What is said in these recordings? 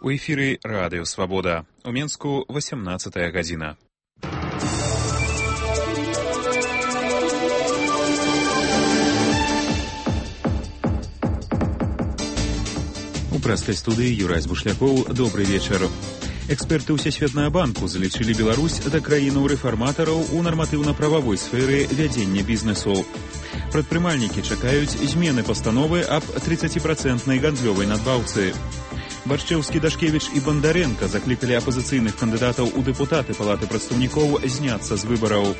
У эфіры Радыё Свабода. У Менску 18 гадзіна. У прэскай студыі Юрай Бушлякоў. Добрый вечар. Эксперты Усесветнага банку залічылі Беларусь да краінаў рэфарматараў у нарматыўна-прававой сферы вядзення бізнесу. Прадпрымальнікі чакаюць змены пастановы аб 30% гандлёвай надбаўцы. Баршчэўскі, Дашкевіч і Бандаренка заклікалі апазіцыйных кандыдатаў у дэпутаты Палаты прадстаўнікоў зняцца з выбараў.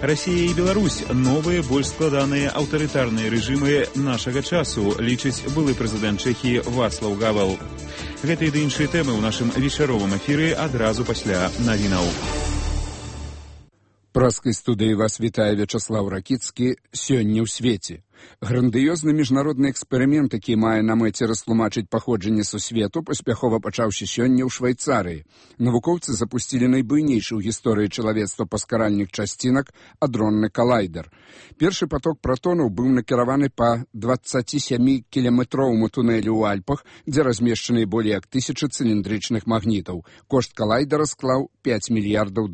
Расія і Беларусь – новыя, больш складаныя аўтарытарныя рэжымы нашага часу, лічыць былы прэзідэнт Чэхіі Вацлаў Гавел. Гэтыя ды іншыя тэмы ў нашым вечаровым эфіры адразу пасля навінаў. Праскай студыі вас вітае Вячаслаў Ракіцкі. Сёння ў свеце. Грандыёзны міжнародны эксперымент, які мае на мэце растлумачыць паходжанне сусвету, паспяхова пачаўся сёння ў Швайцарыі. Навукоўцы запусцілі найбуйнейшы ў гісторыі чалавецтва паскаральных часцінак адронны калайдер. Першы поток пратонаў быў накіраваны па 27-кіляметроваму тунэлю ў Альпах, дзе размешчаны болей як 1000 цыліндрычных магнітаў. Кошт калайдера склаў $5 мільярдаў.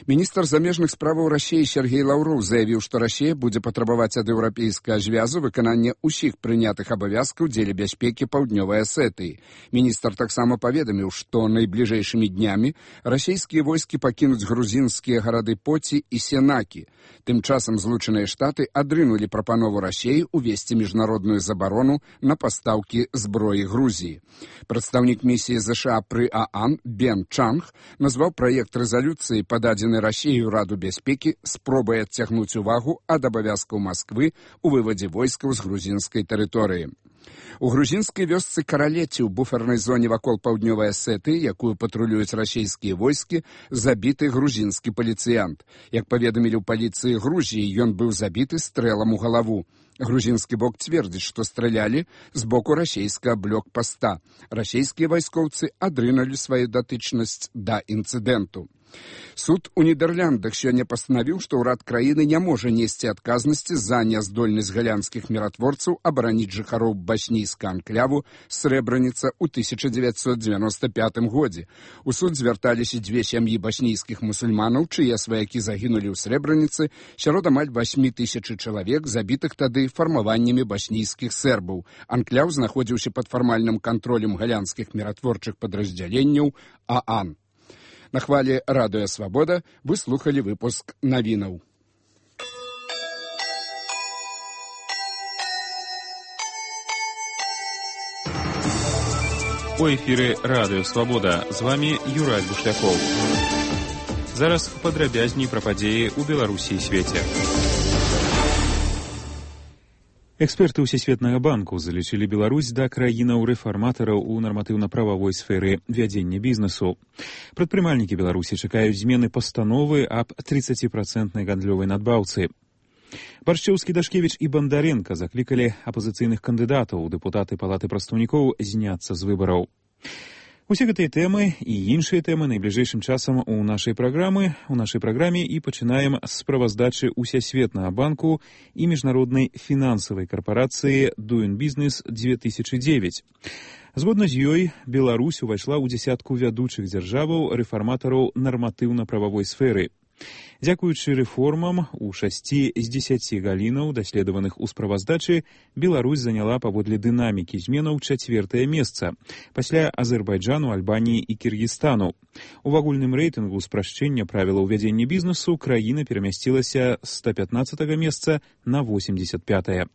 Міністр замежных справаў Расіі Сергей Лаўроў заявіў, што Расія будзе патрабаваць ад еўрапейскага звязу выканання ўсіх прынятых абавязкаў дзеля бяспекі паўднёвай Асетыі. Міністр таксама паведаміў, што найбліжэйшымі днямі расійскія войскі пакінуць грузінскія гарады Поці і Сенакі. Тым часам Злучаныя Штаты адрынулі прапанову Расіі ўвесці міжнародную забарону на пастаўкі зброі Грузіі. Прадстаўнік місіі ЗША пры ААН Бен Чанг назваў праект рэзалюцыі, пададзены Расіяю Раду бяспекі, спробай адцягнуць увагу ад абавязкаў Масквы ў вывадзе войскаў з грузінскай тэрыторыі. У грузінскай вёсцы Каралеці ў буфернай зоне вакол паўднёвай Асетыі, якую патрулююць расійскія войскі, забіты грузінскі паліцыянт. Як паведамілі ў паліцыі Грузіі, ён быў забіты стрэлам у галаву. Грузінскі бок цвердзіць, што стралялі з боку расійскага блокпаста. Расійскія вайскоўцы адрынулі сваю датычнасць да інцыдэнту. Суд у Нідерландах сёння пастанавіў, што ўрад краіны не можа несці адказнасці за няздольнасць галандскіх міратворцаў абараніць жыхароў баснійскага анкляву Срэбраніца ў 1995 годзе. У суд звярталіся дзве сям'і баснійскіх мусульманаў, чые сваякі загінулі ў Срэбраніцы, сярод амаль 8000 чалавек, забітых тады фармаваннямі баснійскіх сербаў. Анкляў знаходзіўся пад фармальным кантролем галандскіх міратворчых падраздзяленняў ААН. На хвале Радыё Свабода вы слухалі выпуск навінаў. У эфіры Радыё Свабода. З вами Юрай Бушлякоў. Зараз падрабязней пра падзеі ў Беларусі і свеце. Эксперты Усесветнага банку залічылі Беларусь да краінаў рэфарматараў у нарматыўна-прававой сферы вядзення бізнесу. Прадпрымальнікі Беларусі чакаюць змены пастановы аб 30% гандлёвай надбаўцы. Баршчэўскі, Дашкевіч і Бандаренка заклікалі апазіцыйных кандыдатаў у дэпутаты Палаты прадстаўнікоў зняцца з выбараў. Усе гэтыя тэмы і іншыя тэмы найбліжэйшым часам у нашай праграме і пачынаем з справаздачы Усесветнага банку і міжнароднай фінансавай карпорацыі Doing Business 2009. Згодна з ёй, Беларусь увайшла ў дзясятку вядучых дзяржаваў рэфарматараў нарматыўна-прававой сферы. Дзякуючы рэформам у 6 з 10 галінаў, даследаваных у справаздачы, Беларусь заняла паводле дынамікі зменаў 4-е месца, пасля Азербайджану, Альбаніі і Кіргізстану. У агульным рэйтынгу спрашчэння правілаў вядзення бізнесу краіна перамясцілася з 115-го месца на 85-е.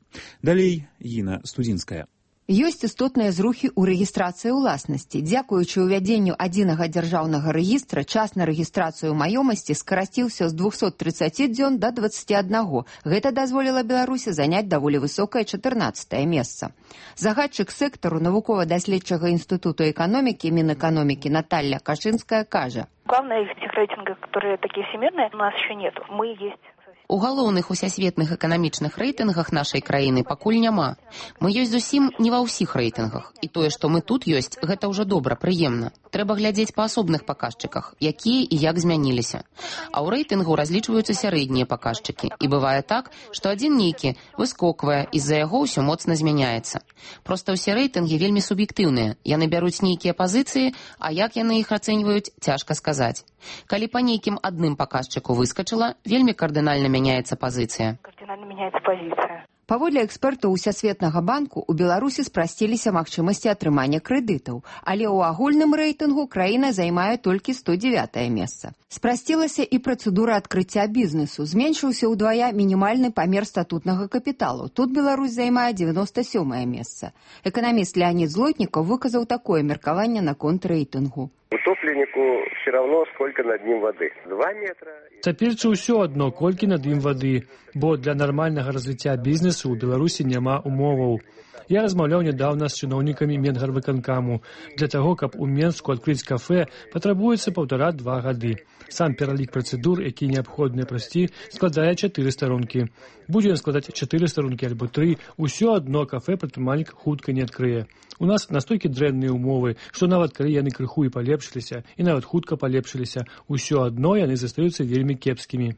Далей Іна Студзінская. Ёсць істотныя зрухі ў рэгістрацыі ўласнасці. Дзякуючы ўвядзенню адзінага дзяржаўнага рэгістра, час на рэгістрацыю маёмасці скарасціўся з 230 дзён да 21. Гэта дазволіла Беларусі заняць даволі высокае 14-е месца. Загадчык сектару навукова-даследчага інстытуту эканомікі Мінэканомікі Наталья Кашинская кажа: Главное, в этих рейтингах, которые такие всемирные, у нас еще нету. Мы есть. У галоўных усесветных эканамічных рэйтынгах нашай краіны пакуль няма. Мы ёсць зусім не ва ўсіх рэйтынгах. І тое, што мы тут ёсць, гэта ўжо добра, прыемна. Трэба глядзець па асобных паказчыках, якія і як змяніліся. А ў рэйтынгу разлічваюцца сярэднія паказчыкі. І бывае так, што адзін нейкі выскоквае, і з-за яго ўсё моцна змяняецца. Проста ўсе рэйтынгі вельмі суб'ектыўныя. Яны бяруць нейкія пазіцыі, а як яны іх ацэньваюць, цяжка сказаць. Калі па нейкім адным паказчыку выскачыла, вельмі кардынальна мяняецца пазіцыя. Кардинально меняется позиция. Паводле экспертаў Усесветнага банку, у Беларусі спрасціліся магчымасці атрымання крэдытаў, але ў агульным рэйтынгу краіна займае толькі 109-е месца. Спрасцілася і працэдура адкрыцця бізнесу. Зменшыўся ўдвая мінімальны памер статутнага капіталу. Тут Беларусь займае 97-е месца. Эканаміст Леонид Злотнікаў выказаў такое меркаванне наконт рэйтынгу. Утопленнику все равно, сколько над ним воды. 2 метра. Цяперчы ўсё адно, колькі над ім вады, бо для нармальнага развіцця бізнесу ў Беларусі няма умоваў. Я размаўляў нядаўна з чыноўнікамі Менгарвыканкаму. Для таго, каб у Менску адкрыць кафэ, патрабуецца 1,5-2 гады. Сам пералік працэдур, які неабходныя прайсці, складае 4 старонкі. Будзе ён складаць 4 старонкі альбо 3, усё адно кафэ прадпрымальнік хутка не адкрые. У нас настолькі дрэнныя умовы, што нават калі яны крыху і палепшыліся, і нават хутка палепшыліся, усё адно яны застаюцца вельмі кепскімі.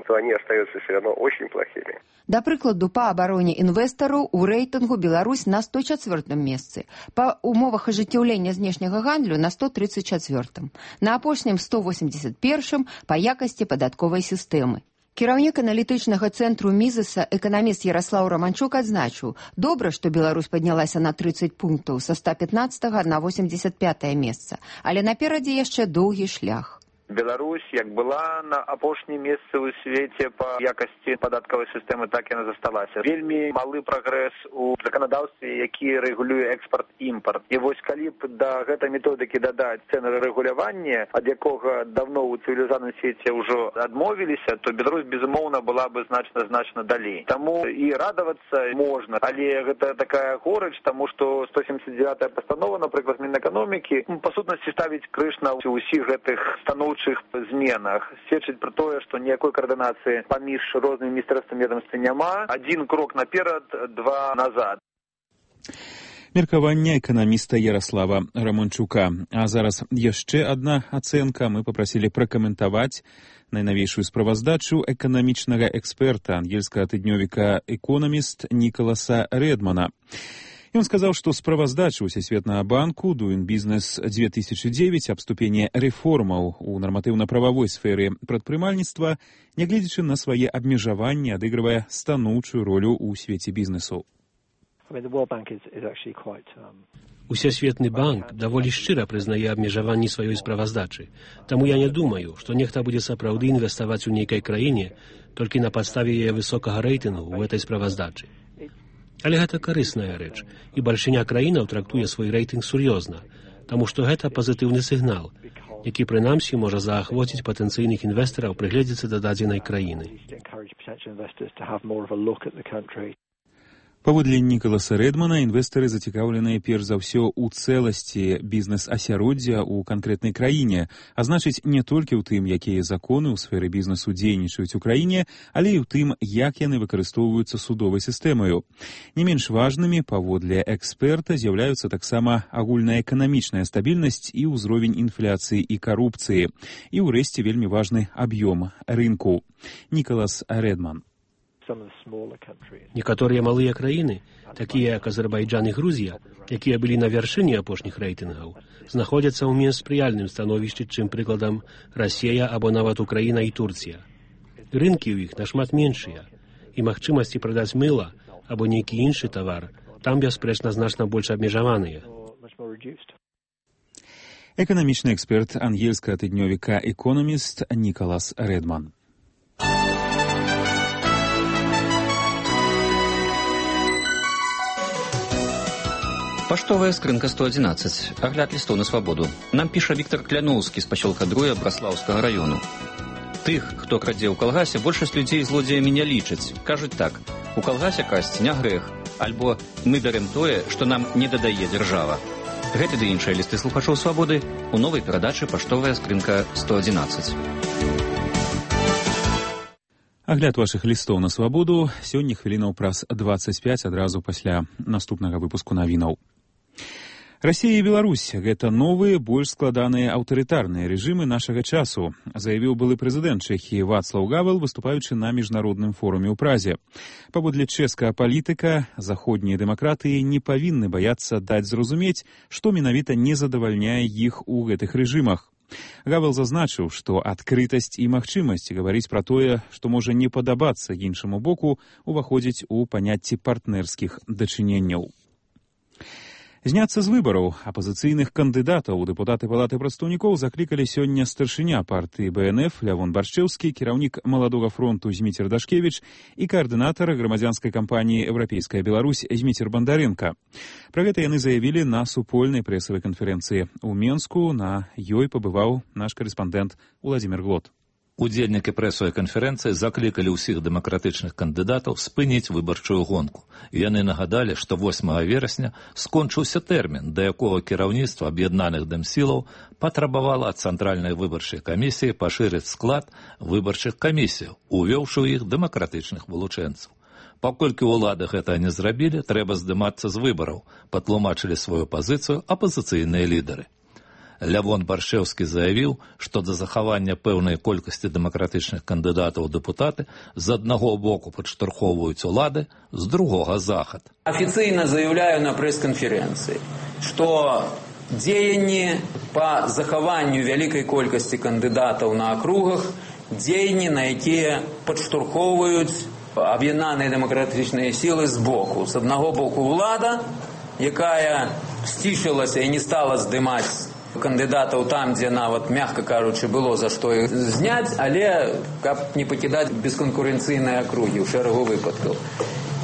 То они остаются все равно очень плохими. Да прыкладу, па абароне інвестараў у рэйтынгу Беларусь на 104-м месцы, па умовах ажыццяўлення знешняга гандлю на 134-м, на апошнім 181-м па якасці падатковай сістэмы. Кіраўнік аналітычнага цэнтру Мізеса, эканаміст Яраслаў Раманчук адзначыў, добра, што Беларусь паднялася на 30 пунктаў са 115-го на 85-е месца, але наперадзе яшчэ доўгі шлях. Беларусь, як была на апошнім месцы ў свеце па якасці падаткавай сістэмы, так яна засталася. Вельмі малы прагрэс у заканадаўстве, які рэгулюе экспарт-імпарт. І вось калі б да гэтай методыкі дадаць цэнарэгуляванне, ад якога даўно ў цывілізаваным свеце ўжо адмовіліся, то Беларусь, безумоўна, была бы значна далей. Таму і радавацца можна, але гэта такая горыч, таму што 179-я пастанова, напрыклад, Мінэканомікі, па сутнасці ставіць крыж на ўсіх гэтых станоўчых зменах. Сведчыць пра тое, што ніякой каардынацыі паміж рознымі міністэрствамі ведомствамі няма. Адзін крок наперад, 2 назад. Меркаванне эканаміста Яраслава Раманчука. А зараз яшчэ адна ацэнка. Мы папрасілі пракаментаваць найнавейшую справаздачу эканамічнага эксперта ангельскага тыднёвіка «Экономіст» Нікаласа Рэдмана. Ён сказаў, што справаздача Усесветнага банку Doing Business 2009 аб ступені рэформаў у нарматыўна-прававой сферы прадпрымальніцтва, нягледзячы на свае абмежаванні, адыгрывае станоўчую ролю ў свеце бізнесу. Усесветны банк даволі шчыра прызнае абмежаванні сваёй справаздачы. Таму я не думаю, што нехта будзе сапраўды інвеставаць у нейкай краіне толькі на падставе яе высокага рэйтынгу ў гэтай справаздачы. Але гэта карысная рэч, і бальшыня краінаў трактуе свой рэйтынг сур'ёзна, таму што гэта пазітыўны сігнал, які прынамсі можа заахвоціць патэнцыйных інвестараў прыгледзецца да дадзенай краіны. Паводле Нікаласа Рэдмана, інвестары зацікаўленыя перш за ўсё ў цэласці бізнес-асяроддзя ў канкрэтнай краіне, а значыць не толькі ў тым, якія законы ў сферы бізнесу дзейнічаюць у краіне, але і ў тым, як яны выкарыстоўваюцца судовай сістэмаю. Не менш важнымі, паводле эксперта, з'яўляюцца таксама агульная эканамічная стабільнасць і ўзровень інфляцыі і карупцыі. І ўрэшце вельмі важны аб'ём рынку. Нікалас Рэдман. Некаторыя малыя краіны, такія як Азербайджан і Грузія, якія былі на вяршыні апошніх рэйтынгаў, знаходзяцца ў менш спрыяльным становішчы, чым прыкладам Расія або нават Украіна і Турція. Рынкі ў іх нашмат меншыя, і магчымасці прадаць мыла або нейкі іншы тавар там, бясспрэчна, значна больш абмежаваныя. Эканамічны эксперт ангельскага тыднёвіка «Экономіст» Нікалас Рэдман. Паштовая скрынка 111. Агляд лістоў на свабоду. Нам піша Віктор Кляноўскі з пасёлка Друя Браслаўскага раёну. Тых, хто крадзе ў калгасе, большасць людзей злодзеямі не лічаць. Кажуць так: у калгасе красці не грэх, альбо мы бярем тое, што нам не дадае дзяржава. Гэты ды іншыя лісты слухачоў свабоды у новай перадачы «Паштовая скрынка 111». Агляд вашых лістоў на свабоду сёння хвілінаў праз 25 адразу пасля наступнага выпуску навінаў. Расія і Беларусь – гэта новыя, больш складаныя аўтарытарныя рэжымы нашага часу, заявіў былы прэзідэнт Чэхіі Вацлаў Гавел, выступаючы на міжнародным форуме ў Празе. Паводле чэшскага палітыка, заходнія дэмакратыі не павінны баяцца даць зразумець, што менавіта не задавальняе іх у гэтых рэжымах. Гавел зазначыў, што адкрытасць і магчымасць гаварыць пра тое, што можа не падабацца іншаму боку, уваходзіць у паняцці партнерскіх дачыненняў. Зняцца з выбараў апазіцыйных кандыдатаў у дэпутаты Палаты прадстаўнікоў заклікалі сёння старшыня партыі БНФ Лявон Баршчэўскі, кіраўнік Маладога фронту Зміцер Дашкевіч і каардынатар грамадзянскай кампаніі «Еўрапейская Беларусь» Зміцер Бандаренка. Пра гэта яны заявілі на супольнай прэсавай канферэнцыі ў Менску. На ёй пабываў наш карэспандэнт Уладзімір Глот. Удзельнікі прэсавай канферэнцыі заклікалі ўсіх дэмакратычных кандыдатаў спыніць выбарчую гонку. Яны нагадалі, што 8 верасня скончыўся тэрмін, да якога кіраўніцтва аб'яднаных дэмсілаў патрабавала ад цэнтральнай выбарчай камісіі пашырыць склад выбарчых камісіяў, увёўшы ў іх дэмакратычных вылучэнцаў. Паколькі ўлады гэта не зрабілі, трэба здымацца з выбараў, патлумачылі сваю пазіцыю апазіцыйныя лідары. Лявон Баршчэўскі заявіў, што да захавання пэўнай колькасці дэмакратычных кандыдатаў у дэпутаты з аднаго боку падштурхоўваюць улады, з другога захад. Официально заявляю на пресс-конференции, что дзеянні по захаванню вялікай колькасці кандыдатаў на акругах, дзеянні, на якія падштурхоўваюць аб'яднаныя дэмакратычныя сілы з боку. З аднаго боку ўлада, якая сцішылася і не стала здымаць кандыдатаў там, дзе нават, мягка кажучы, было за што іх зняць, але каб не пакідаць бесканкурэнцыйныя акругі ў шэрагу выпадкаў.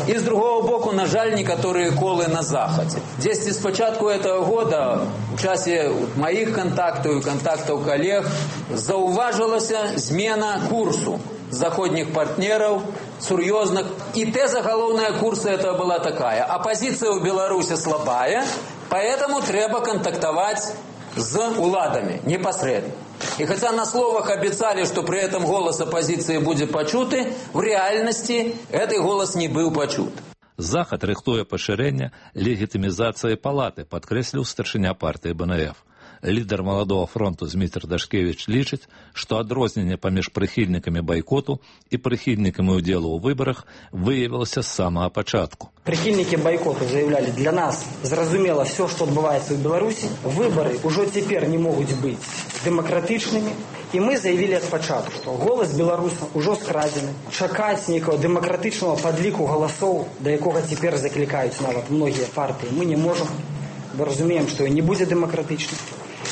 І з другого боку, на жаль, некаторыя колы на захадзе. Дзесьці з пачатку этого года, у часе маіх контактаў і контактаў калег, заўважылася змена курсу заходніх партнераў, сур'ёзных. І тэза галоўная курса это была такая: оппозиция у Беларуси слабая, поэтому трэба контактовать с уладами непосредственно. И хотя на словах обещали, что при этом голос оппозиции будет почуты, в реальности этот голос не был почут. Захад рыхтуе пашырэнне легітымізацыі палаты, падкрэсліў старшыня партыі БНФ. Лідар Маладога фронту Зміцер Дашкевіч лічыць, што адрозненне паміж прыхільнікамі байкоту і прыхільнікамі ўдзелу ў выбарах выявілася з самага пачатку. Прихильники бойкота заявляли, для нас зразумело все, что отбывается в Беларуси. Выборы уже теперь не могут быть демократичными. И мы заявили от початку, что голос белорусов уже скрадзены. Чакаць некого демократичного подлику голосов, до якого теперь закликаются нават многие партии, мы не можем. Мы разумеем, что не будет демократичным.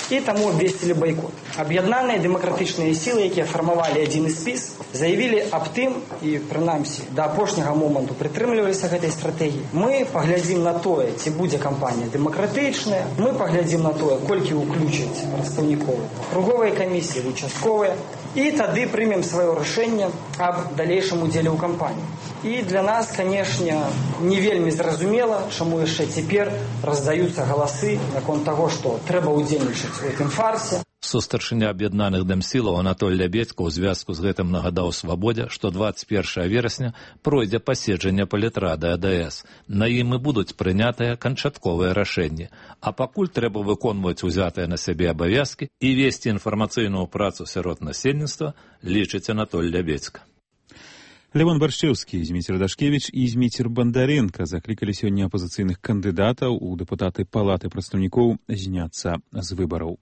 И тому обвесили бойкот. Аб'яднаныя дэмакратычныя сілы, якія фармавалі адзіны спіс, заявілі аб тым, і прынамсі да апошняга моманту прытрымліваліся гэтай стратэгіі. Мы паглядзім на тое, ці будзе кампанія дэмакратычная, мы паглядзім на тое, колькі ўключаць прадстаўнікоў акруговай камісіі, участковыя, і тады прымем сваё рашэнне аб далейшым удзеле ў кампаніі. І для нас, канешне, не вельмі зразумела, чаму яшчэ цяпер раздаюцца галасы наконт таго, што трэба ўдзельнічаць у гэтым фарсе. Сустаршыня аб'яднаных дэмсілаў Анатоль Лябедзька ў звязку з гэтым нагадаў Свабодзе, што 21 верасня пройдзе паседжанне палітрады АДС. На ім і будуць прынятыя канчатковыя рашэнні. А пакуль трэба выконваць узятыя на сябе абавязкі і весці інфармацыйную працу сярод насельніцтва, лічыць Анатоль Лябедзька. Лявон Баршчэўскі, Зміцер Дашкевіч і Зміцер Бандаренка заклікалі сёння апазіцыйных кандыдатаў у дэпутаты Палаты прадстаўнікоў зняцца з выбараў.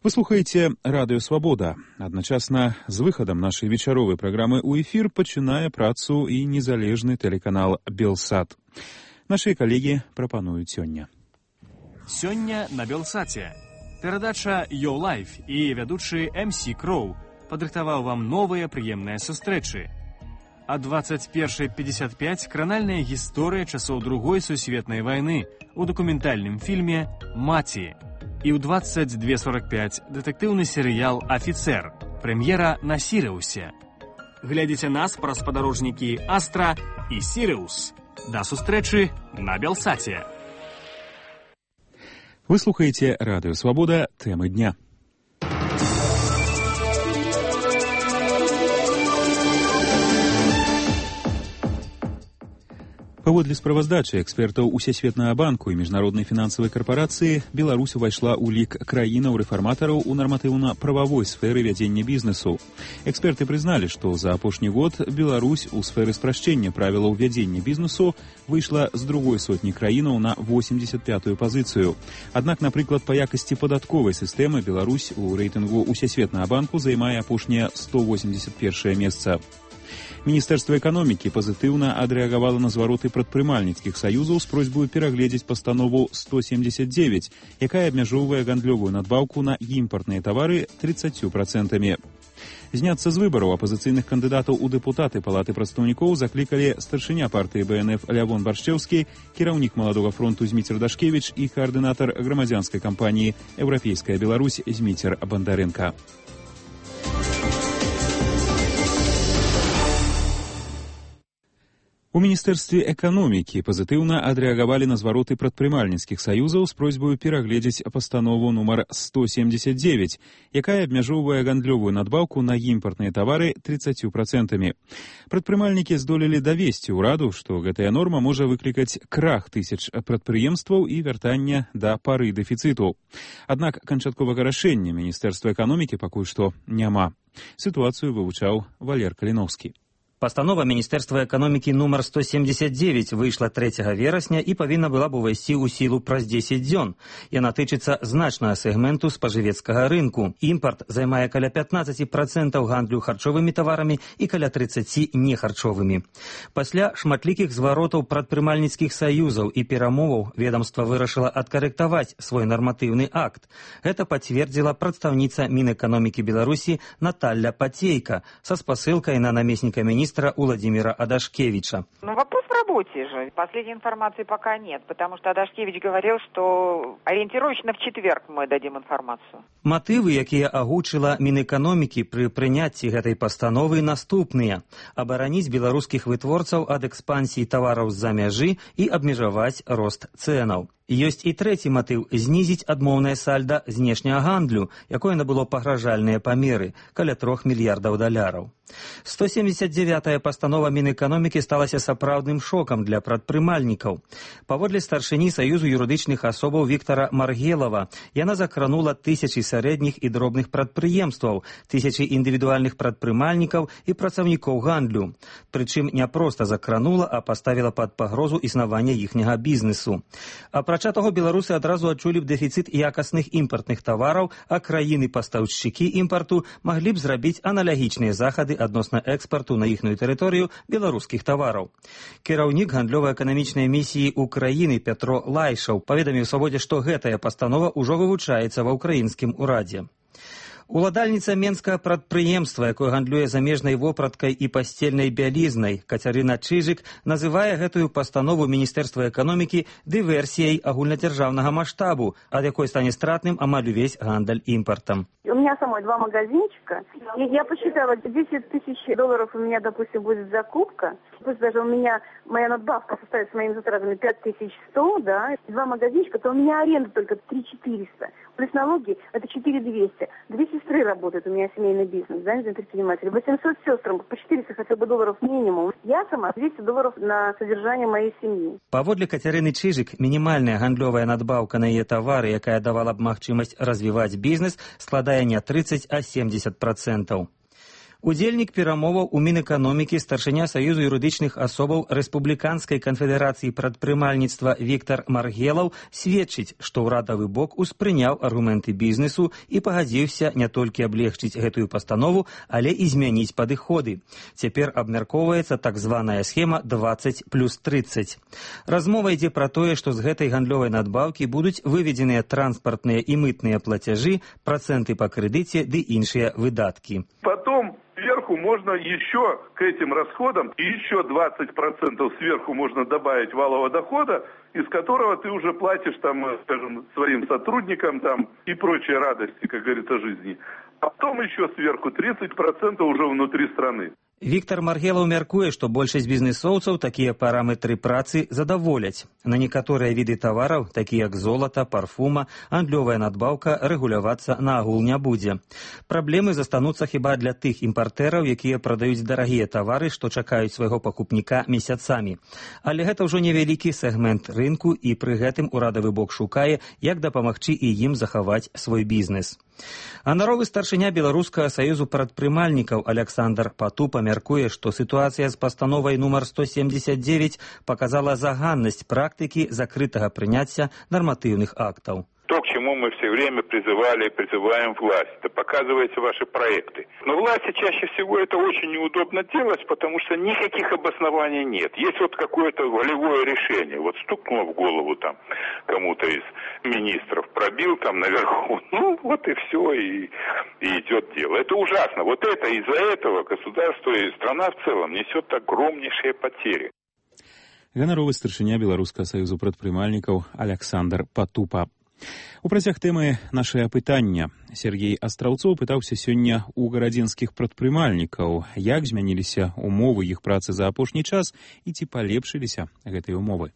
Вы слухаеце Радыё Свабода. Адначасна з выхадам нашай вечаровай праграмы ў эфір пачынае працу і незалежны тэлеканал «Белсат». Нашыя калегі прапануюць сёння. Сёння на «Белсаце». Перадача «Your Life» і вядучы MC Кроу падрыхтаваў вам новыя прыемныя сустрэчы. А 21:55 кранальная гісторыя часоў Другой сусветнай вайны у дакументальным фільме «Маці». І ў 22:45 дэтэктыўны серыял «Афіцэр». Прэм'ера на Сірыусе. Глядзіце нас праз спадарожнікі «Астра» і «Сірыус». Да сустрэчы на «Белсаце». Вы слухаеце Радыё Свабода, тэмы дня. Паводле справаздачы экспертаў Усесветнага банку і міжнароднай фінансавай карпорацыі, Беларусь увайшла ў лік краінаў-рэфарматараў у нарматыўна-прававой сферы вядзення бізнесу. Эксперты прызналі, што за апошні год Беларусь у сферы спрашчэння правілаў вядзення бізнесу выйшла з другой сотні краінаў на 85-ю пазіцыю. Аднак, напрыклад, па якасці падатковай сістэмы Беларусь у рэйтынгу Усесветнага банку займае апошняе 181 месца. Міністэрства эканомікі пазітыўна адрэагавала на звароты прадпрымальніцкіх саюзаў з просьбаю перагледзець пастанову 179, якая абмяжоўвае гандлёвую надбаўку на імпартныя тавары 30%. Зняцца з выбараў апазіцыйных кандыдатаў у дэпутаты Палаты прадстаўнікоў заклікалі старшыня партыі БНФ Лявон Баршчэўскі, кіраўнік Маладога фронту Зміцер Дашкевіч і каардынатар грамадзянскай кампаніі «Еўрапейская Беларусь» Зміцер Бандарэнка. У Міністэрстве эканомікі пазітыўна адрэагавалі на звароты прадпрымальніцкіх саюзаў з просьбаю перагледзець пастанову нумар 179, якая абмяжоўвае гандлёвую надбаўку на імпартныя тавары 30%. Прадпрымальнікі здолелі давесці ўраду, што гэтая норма можа выклікаць крах тысяч прадпрыемстваў і вяртання да пары дэфіцыту. Аднак канчатковага рашэння Міністэрства эканомікі пакуль што няма. Сітуацыю вывучаў Валер Каліновскі. Пастанова Міністэрства эканомікі нумар 179 выйшла 3 верасня і павінна была б увайсці ў сілу праз 10 дзён. Яна тычыцца значнага сегменту спажывецкага рынку. Імпарт займае каля 15% гандлю харчовымі таварамі і каля 30% нехарчовымі. Пасля шматлікіх зваротаў прадпрымальніцкіх саюзаў і перамоваў ведамства вырашыла адкарэктаваць свой нарматыўны акт. Гэта пацвердзіла прадстаўніца Мінэканомікі Беларусі Наталья Пацейка са спасылкай на намесніка міністра Владимира Адашкевича. Вопрос в работе же. Последней информации пока нет, потому что Адашкевич говорил, что ориентировочно в четверг мы дадим информацию. Матывы, якія агучыла Мінэканомікі пры прыняцці гэтай пастановы, наступныя. Абараніць беларускіх вытворцаў ад экспансіі тавараў з-за мяжы і абмежаваць рост цэнаў. Ёсць і трэці матыў – знізіць адмоўнае сальда знешняга гандлю, якое набыло пагражальныя памеры – каля $3 мільярдаў. 179-я пастанова Мінэканомікі сталася сапраўдным шокам для прадпрымальнікаў. Паводле старшыні Саюзу юрыдычных асобаў Віктара Маргелава, яна закранула тысячы сярэдніх і дробных прадпрыемстваў, тысячы індывідуальных прадпрымальнікаў і працаўнікоў гандлю. Прычым не проста закранула, а паставіла пад пагрозу існавання іхняга бізнесу. Апрача таго, беларусы адразу адчулі б дэфіцыт якасных імпартных тавараў, а краіны-пастаўшчыкі імпарту маглі б зрабіць аналагічныя захады адносна экспарту на іхную тэрыторыю беларускіх тавараў. Кіраўнік гандлёва-эканамічнай місіі Украіны Пятро Лайшаў паведаміў Свабодзе, што гэтая пастанова ўжо вывучаецца ва ўкраінскім урадзе. Уладальніца менскага прадпрыемства, якое гандлюе замежнай вопраткай і пасцельнай бялізнай, Кацярына Чыжык называе гэтую пастанову Міністэрства эканомікі дыверсіяй агульнадзяржаўнага маштабу, ад якой стане стратным амаль увесь гандаль імпартам. У меня самой 2 магазинчика, и я посчитала, $10 тысяч у меня, допустим, будет закупка, пусть даже у меня моя надбавка составит с моими затратами 5100, да, 2 магазинчика, то у меня аренда только 3400, плюс налоги это 4200. 2 сестры работают, у меня семейный бизнес, да, предприниматели, 800 сестрам, по 400 хотя бы долларов минимум. Я сама $200 на содержание моей семьи. Паводле Кацярыны Чыжык, мінімальная гандлёвая надбаўка на яе тавары, якая давала б магчымасць развіваць бізнес, складае не 30, а 70%. Удзельнік перамоваў у Мінэканомікі старшыня Саюзу юрыдычных асобаў Рэспубліканскай канфедэрацыі прадпрымальніцтва Віктар Маргелаў сведчыць, што ўрадавы бок успрыняў аргументы бізнесу і пагадзіўся не толькі аблегчыць гэтую пастанову, але і змяніць падыходы. Цяпер абмяркоўваецца так званая схема 20+30. Размова ідзе пра тое, што з гэтай гандлёвай надбаўкі будуць выведзеныя транспартныя і мытныя плацяжы, працэнты па крэдыце ды іншыя выдаткі. Потом сверху можно еще к этим расходам еще 20% сверху можно добавить валового дохода, из которого ты уже платишь там, скажем, своим сотрудникам там и прочие радости, как говорится, жизни. А потом еще сверху 30% уже внутри страны. Віктор Маргелаў мяркуе, што большасць бізнесоўцаў такія параметры працы задаволяць. На некаторыя віды тавараў, такія як золата, парфума, гандлёвая надбаўка, рэгулявацца наогул не будзе. Праблемы застануцца хіба для тых імпартэраў, якія прадаюць дарагія тавары, што чакаюць свайго пакупніка месяцамі. Але гэта ўжо невялікі сегмент рынку, і пры гэтым урадавы бок шукае, як дапамагчы і ім захаваць свой бізнес. Анаровы старшыня Беларускага саюзу прадпрымальнікаў Александр Патупа мяркуе, што сітуацыя з пастановай нумар 179 показала заганнасць практыкі закрытага прыняцця нарматыўных актаў. То, к чему мы все время призывали и призываем власть, это показывайте ваши проекты. Но власти чаще всего это очень неудобно делать, потому что никаких обоснований нет. Есть вот какое-то волевое решение. Вот стукнуло в голову там кому-то из министров, пробил там наверху. Ну, вот и все, и идет дело. Это ужасно. Вот это из-за этого государство и страна в целом несет огромнейшие потери. Ганаровы старшыня Беларускага саюзу прадпрымальнікаў Александр Патупа. У працяг тэмы нашае апытання Сергей Астраўцоў пытаўся сёння у гарадзенскіх прадпрымальнікаў, як змяніліся умовы іх працы за апошні час і ці палепшыліся гэтыя умовы.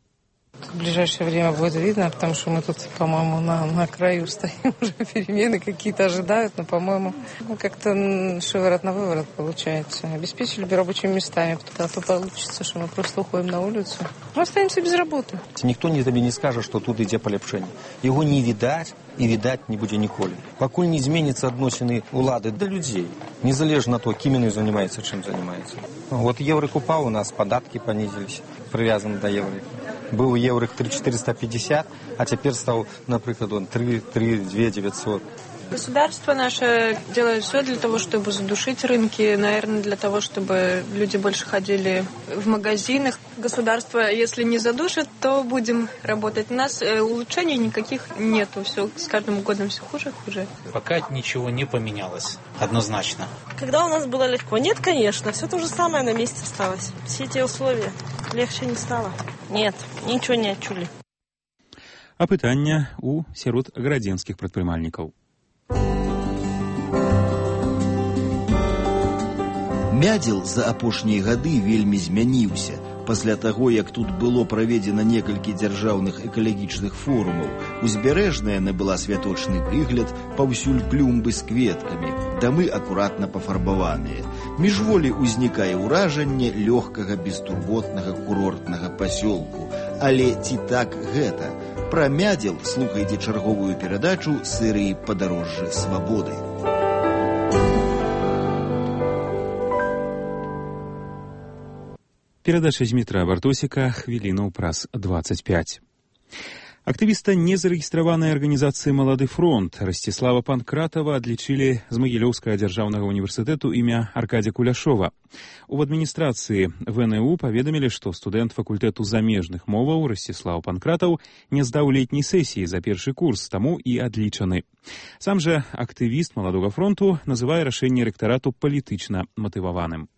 В ближайшее время будет видно, потому что мы тут, по-моему, на краю стоим, уже перемены какие-то ожидают, но, по-моему, как-то шиворот на выворот получается. Обеспечили бы рабочими местами, а то получится, что мы просто уходим на улицу. Мы остаемся без работы. Ніхто тебе не скажет, что тут ідзе палепшэнне. Его не видать и видать не будзе ніколі. Пакуль не зменятся адносіны улады до людей, незалежно от того, кем они занимаются, чем занимаются. Вот еврик упал, у нас податки понизились, привязаны до еврика. Был еврик 3,450, а теперь стал, например, 3,900. Государство наше делает все для того, чтобы задушить рынки, наверное, для того, чтобы люди больше ходили в магазинах. Государство, если не задушит, то будем работать. У нас улучшений никаких нету, все с каждым годом все хуже и хуже. Пока ничего не поменялось, однозначно. Когда у нас было легко? Нет, конечно, все то же самое на месте осталось. Все эти условия легче не стало. Нет, ничего не отчули. Апытання у сярод гарадзенскіх прадпрымальнікаў. Мядзел за апошнія гады вельмі змяніўся. Пасля таго, як тут было праведзена некалькі дзяржаўных экалагічных форумаў, узбярэжная набыла святочны выгляд, паўсюль клумбы з кветкамі, дамы акуратна пафарбаваныя. Міжволі ўзнікае ўражанне лёгкага бестурботнага курортнага пасёлку. Але ці так гэта? Пра мядзел слухайце чарговую перадачу серыі «Падарожжа свабоды». Перадача Змітра Бартосіка хвілінаў праз 25. Актывіста незарэгістраванай арганізацыі «Малады фронт» Расціслава Панкратава адлічылі з Магілёўскага дзяржаўнага універсітэту імя Аркадзя Куляшова. У адміністрацыі ВНУ паведамілі, што студэнт факультэту замежных моваў Расціслаў Панкратаў не здаў летняй сесіі за першы курс, таму і адлічаны. Сам жа актывіст «Маладога фронту» называе рашэнне рэктарату палітычна матываваным.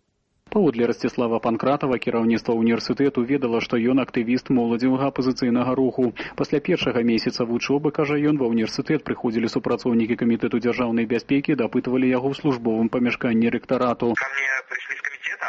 Паводле Расціслава Панкратава, кіраўніцтва універсітэту ведала, што ён актывіст моладзевага апазіцыйнага руху. Пасля першага месяца вучобы, кажа ён, ва універсітэт прыходзілі супрацоўнікі камітэту дзяржаўнай бяспекі, дапытвалі яго ў службовым памяшканні рэктарату.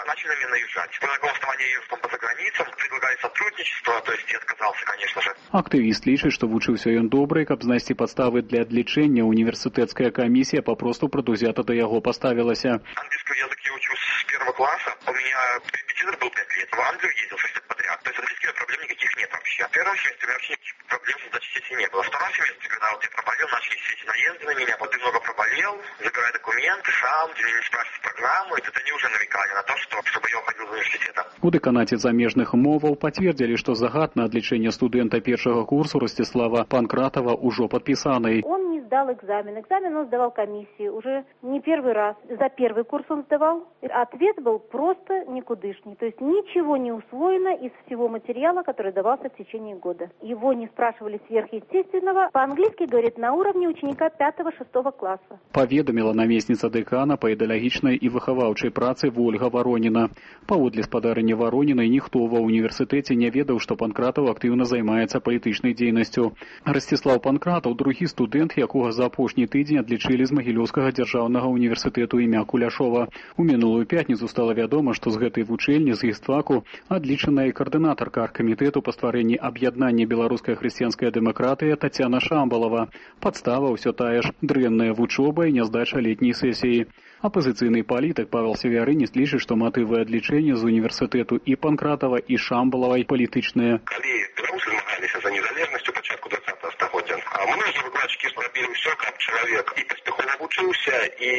Начали меня наезжать. По какому основанию я ездил по заграницам, предлагали сотрудничество, то есть я отказался, конечно же. Актывіст лічыць, што вучыўся ён добра, і каб знайсці падставы для адлічэння, універсітэцкая камісія папросту прадузята да яго паставілася. Английский язык я учусь с первого класса. У меня репетитор был 5 лет. В Англию ездил 6 лет подряд. То есть английских проблем никаких нет вообще. В первом семестре у меня вообще никаких проблем с сдачей сессии не было. В втором семестре, когда вот я проболел, начались все эти наезды на меня. Вот ты много проболел, забирай документы сам, тебе не спрашивают программу, и это они уже намекали на то, чтобы я уходил из университета. У дэканаце замежных моваў пацвердзілі, што загад на адлічэнне студэнта першага курсу Расціслава Панкратава ўжо падпісаны. Он не сдал экзамен. Экзамен он сдавал комиссии уже не первый раз. За первый курс он сдавал. Ответ был просто никудышний. То есть ничего не усвоено из всего материала, который давался в течение года. Его не спрашивали сверхъестественного. По-английски говорит на уровне ученика 5-6 класса. Паведаміла намесніца дэкана па ідэалагічнай і выхаваўчай працы Вольга Вароніна. Паводле спадарыні Варонінай ніхто ва універсітэце не ведаў, што Панкратаў актыўна займаецца палітычнай дзейнасцю. Расціслаў Панкратаў другі студэнт, якога за апошні тыдзень адлічылі з Магілёўскага дзяржаўнага універсітэту імя Куляшова. У мінулую пятніцу стала вядома, што з гэтай вучэльні з гістфаку адлічаная і каардынатарка аргкамітэту па стварэнні аб'яднання беларуская хрысціянская дэмакратыя Тацяна Шамбалава. Падстава ўсё тая ж дрэнная вучоба і няздача летняй сесіі. Апозіцыйны палітык Павел Севярынец лічыць, што матывы адлічэння з універсітэту і Панкратава, і Шамбалавай палітычныя. Калі беларусы змагаліся за незалежнасць у пачатку 20-го стагоддзя, многія выкладчыкі зрабілі ўсё, каб чалавек і паспяхова вучыўся і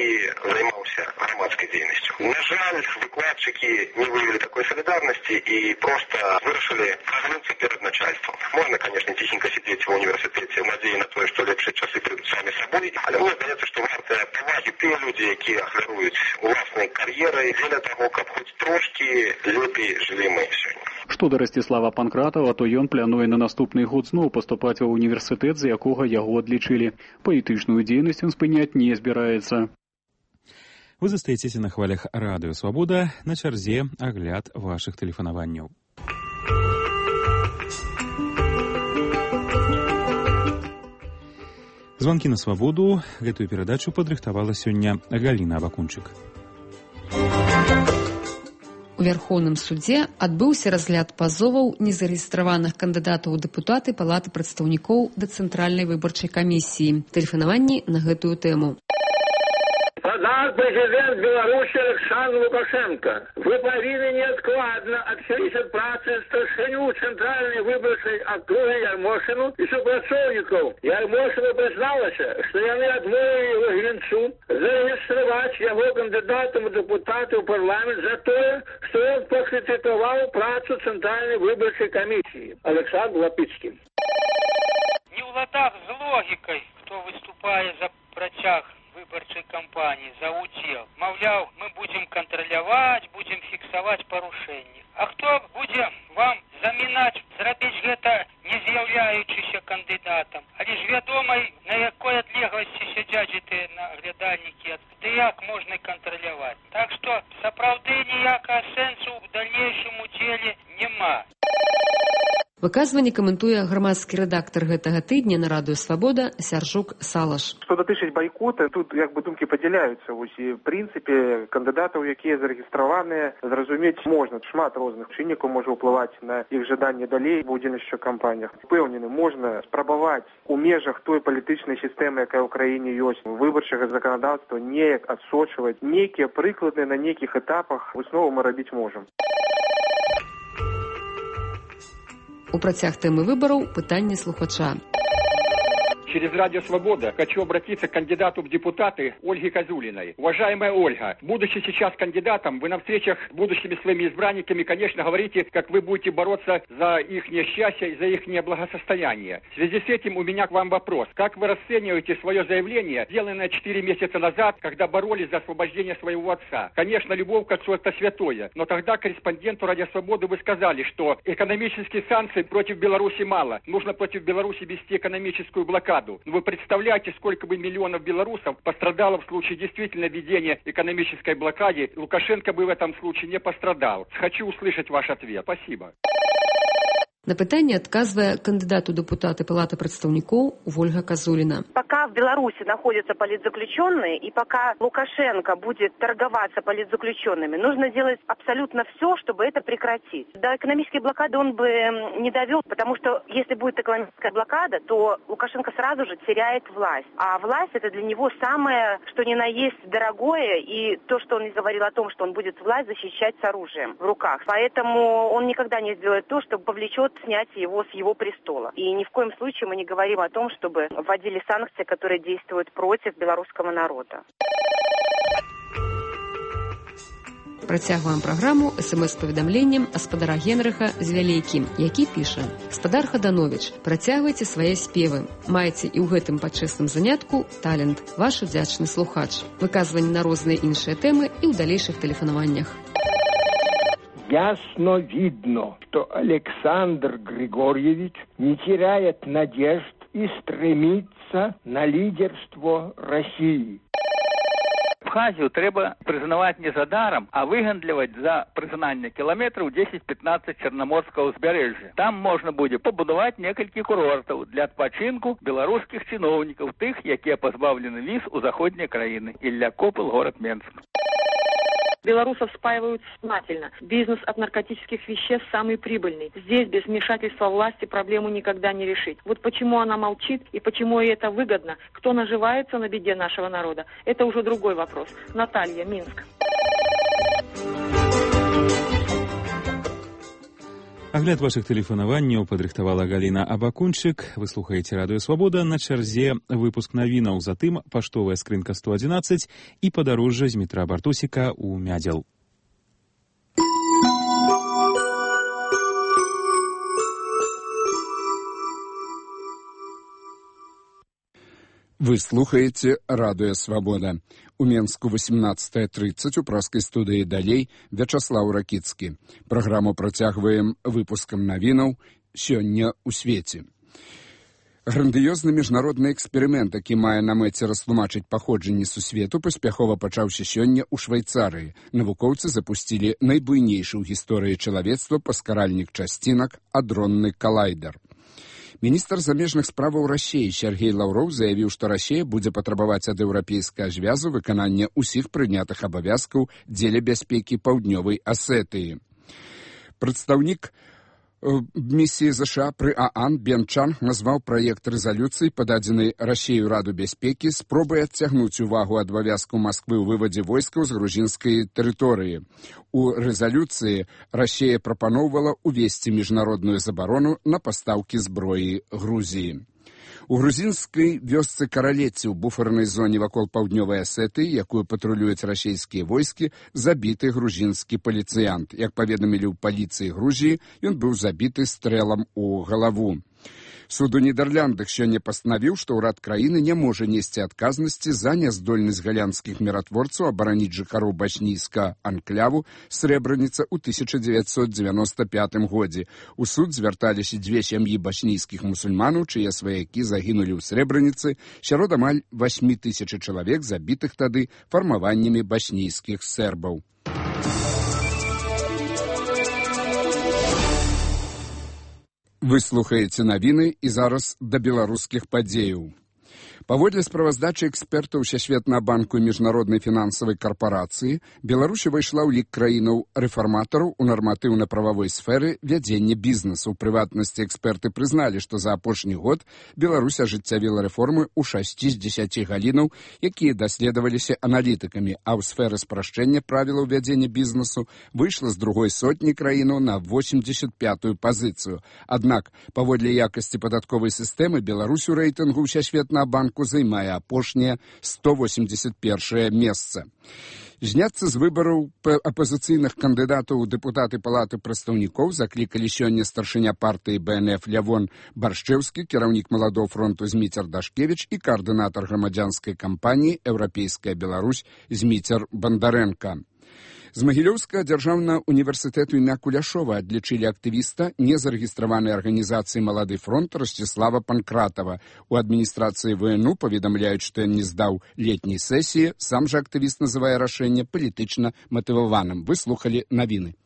займаўся грамадскай дзейнасцю. На жаль, выкладчыкі не выявілі такой салідарнасці і проста вырашылі прагнуцца перад начальствам. Можна, конечно, ціхенька сидзець ва універсітэце, надзеі на тое, што лепшыя часы прыйдуць самі сабой, але мне здаецца, што вартыя павагі тыя людзі, якія ахвяруюць уласнай кар'ерай дзеля таго, каб хоць трошкі лепей жылі мы сёння. Што да Расціслава Панкратава, то ён плануе на наступны год зноў паступаць ва універсітэт, з якога яго адлічылі. Палітычную дзейнасць ён спыняць не збіраецца. Вы застаецеся на хвалях Радыё Свабода, на чарзе агляд вашых тэлефанаванняў. Званкі на свабоду. Гэтую перадачу падрыхтавала сёння Галіна Абакунчык. У Вярхоўным судзе адбыўся разгляд пазоваў незарэгістраваных кандыдатаў у дэпутаты Палаты прадстаўнікоў да Цэнтральнай выбарчай камісіі. Тэлефанаванні на гэтую тэму. Президент Беларуси Александр Лукашенко, вы повинны неоткладно отселить от працы старшиню Центральной выборчей округи Ярмошину и супрацоўнікаў. Ярмошина призналася, что яны адмовілі его генцу зарегистрировать его кандидатом в депутаты в парламент за то, что он покритиковал працу Центральной выборчей комиссии. Александр Лапицкий. Не в ладах с логикой, кто выступает за працяг выборчай кампании, за удел. Маўляў, мы будем контролировать, будем фиксовать порушения. А кто будем вам замінаць, зрабіць гэта не з'яўляючыся кандыдатам? Але ж вядомай, на якой адлегласці сядзяць гэтыя наглядальнікі, ды як можна контролировать. Так что сапраўды ніякага сэнсу ў дальнейшым удзеле няма. Выказванне каментуе грамадскі рэдактар гэтага тыдня на Радыё Свабода Сяржук Салаш. Што датычыць байкота, тут як бы думкі падзяляюцца. Вось і в прынцыпе кандыдатаў, якія зарэгістраваныя, зразумець можна. Шмат розных чыннікаў можа ўплываць на іх жаданне далей в удзельнасці ў кампаніях. Упэўнены, можна спрабаваць у межах той палітычнай сістэмы, якая ў краіне ёсць, выбарчага заканадаўства неяк адсочваць. Нейкія прыклады на нейкіх этапах выснову мы рабіць можам. У працяг тэмы выбораў пытанне слухача. Через Радио Свобода хочу обратиться к кандидату в депутаты Ольге Козулиной. Уважаемая Ольга, будучи сейчас кандидатом, вы на встречах с будущими своими избранниками, конечно, говорите, как вы будете бороться за их счастье и за их благосостояние. В связи с этим у меня к вам вопрос. Как вы расцениваете свое заявление, сделанное 4 месяца назад, когда боролись за освобождение своего отца? Конечно, любовь к отцу – это святое, но тогда корреспонденту Радио Свободы вы сказали, что экономических санкций против Беларуси мало. Нужно против Беларуси вести экономическую блокаду. Вы представляете, сколько бы миллионов белорусов пострадало в случае действительно введения экономической блокады? Лукашенко бы в этом случае не пострадал. Хочу услышать ваш ответ. Спасибо. На пытанне адказвае кандидат у депутаты Палаты прадстаўнікоў Ольга Козулина. Пока в Беларуси находятся политзаключенные и пока Лукашенко будет торговаться политзаключенными, нужно делать абсолютно все, чтобы это прекратить. До экономической блокады он бы не довел, потому что если будет экономическая блокада, то Лукашенко сразу же теряет власть. А власть это для него самое, что ни на есть дорогое, и то, что он и говорил о том, что он будет власть защищать с оружием в руках. Поэтому он никогда не сделает то, что повлечет снять его с его престола. И ни в коем случае мы не говорим о том, чтобы вводили санкции, которые действуют против белорусского народа. Працягваем праграму СМС-паведамленнем гаспадара Генрыха з Вялейкі, які піша: «Гаспадар Хаданович, працягвайце свае спевы. Маеце і ў гэтым пачэсным занятку талент. Ваш удзячны слухач. Выказванні на розныя іншыя тэмы і ў далейшых тэлефанаваннях». Ясно видно, что Александр Григорьевич не теряет надежд и стремится на лидерство России. Абхазію трэба прызнаваць не за даром, а выгандліваць за прызнанне кіламетраў 10-15 чарнаморскага ўзбярэжжа. Там можна будзе пабудаваць некалькі курортаў для адпачынку беларускіх чыноўнікаў, тых, якія пазбаўлены віз у заходнія краіны. Ілля Копыл, город Менск. Белорусов спаивают сознательно. Бизнес от наркотических веществ самый прибыльный. Здесь без вмешательства власти проблему никогда не решить. Вот почему она молчит и почему ей это выгодно, кто наживается на беде нашего народа, это уже другой вопрос. Наталья, Минск. Агляд вашых тэлефанаванняў падрыхтавала Галіна Абакунчык. Вы слухаеце радыё Свабода, на чарзе выпуск навінаў, затым паштовая скрынка 111 і падарожжа з метра Бартусіка ў Мядзел. Вы слухаеце радыё Свабода. У Менску 18:30 у праскай студыі далей Вячаслаў Ракіцкі. Праграму працягваем выпускам навінаў «Сёння ў свеце». Грандыёзны міжнародны эксперымент, які мае на мэце растлумачыць паходжанне сусвету, паспяхова пачаўся сёння ў Швайцарыі. Навукоўцы запусцілі найбуйнейшы ў гісторыі чалавецтва паскаральнік часцінак адронны калайдер. Міністр замежных справаў Расіі Сергей Лаўроў заявіў, што Расія будзе патрабаваць ад еўрапейскага звязу выканання ўсіх прынятых абавязкаў дзеля бяспекі паўднёвай Асетыі. Прадстаўнік місіі ЗША пры ААН Бен Чанг назваў праект рэзалюцыі, пададзенай Расіяю Раду бяспекі, спробай адцягнуць увагу ад абавязкаў Масквы ў вывадзе войскаў з грузінскай тэрыторыі. У рэзалюцыі Расія прапаноўвала увесці міжнародную забарону на пастаўкі зброі Грузіі. У грузінскай вёсцы Каралеці ў буфернай зоне вакол паўднёвай Асетыі, якую патрулююць расійскія войскі, забіты грузінскі паліцыянт. Як паведамілі ў паліцыі Грузіі, ён быў забіты стрэлам у галаву. Суд у Нідерландах сёння пастанавіў, што ўрад краіны не можа несці адказнасці за няздольнасць галянскіх міратворцаў абараніць жыхароў бачнійска анкляву Срэбраніца ў 1995 годзе. У суд звярталіся дзве сям'і бачнійскіх мусульманаў, чые сваякі загінулі ў Срэбраніцы, сярод амаль 8000 чалавек, забітых тады фармаваннямі бачнійскіх сербаў. Вы слухаеце навіны і зараз да беларускіх падзеяў. Паводле справаздачы экспертаў Сусветнага банку і міжнароднай фінансавай карпорацыі, Беларусь увайшла ў лік краінаў рэфарматараў у нарматыўна-прававой сферы вядзення бізнесу. У прыватнасці эксперты прызналі, што за апошні год Беларусь ажыццявіла рэформы ў 6 з 10 галінаў, якія даследаваліся аналітыкамі, а ў сферы спрашчэння правілаў вядзення бізнесу выйшла з другой сотні краінаў на 85-ю пазіцыю. Аднак, паводле якасці падатковай сістэмы, Беларусь у рэйтынгу Сусветнага банку займае апошняе 181 месца. Зняцца з выбараў апазіцыйных кандыдатаў у дэпутаты Палаты прадстаўнікоў заклікалі сёння старшыня партыі БНФ Лявон Баршчэўскі, кіраўнік Маладоў фронту Зміцер Дашкевіч і каардынатар грамадзянскай кампаніі «Еўрапейская Беларусь» Зміцер Бандарэнка. З Магілёўскага дзяржаўнага універсітэту імя Куляшова адлічылі актывіста незарэгістраванай арганізацыі «Малады фронт» Расціслава Панкратава. У адміністрацыі ВНУ паведамляюць, што ён не здаў летняй сесіі. Сам жа актывіст называе рашэнне палітычна матываваным. Вы слухалі навіны.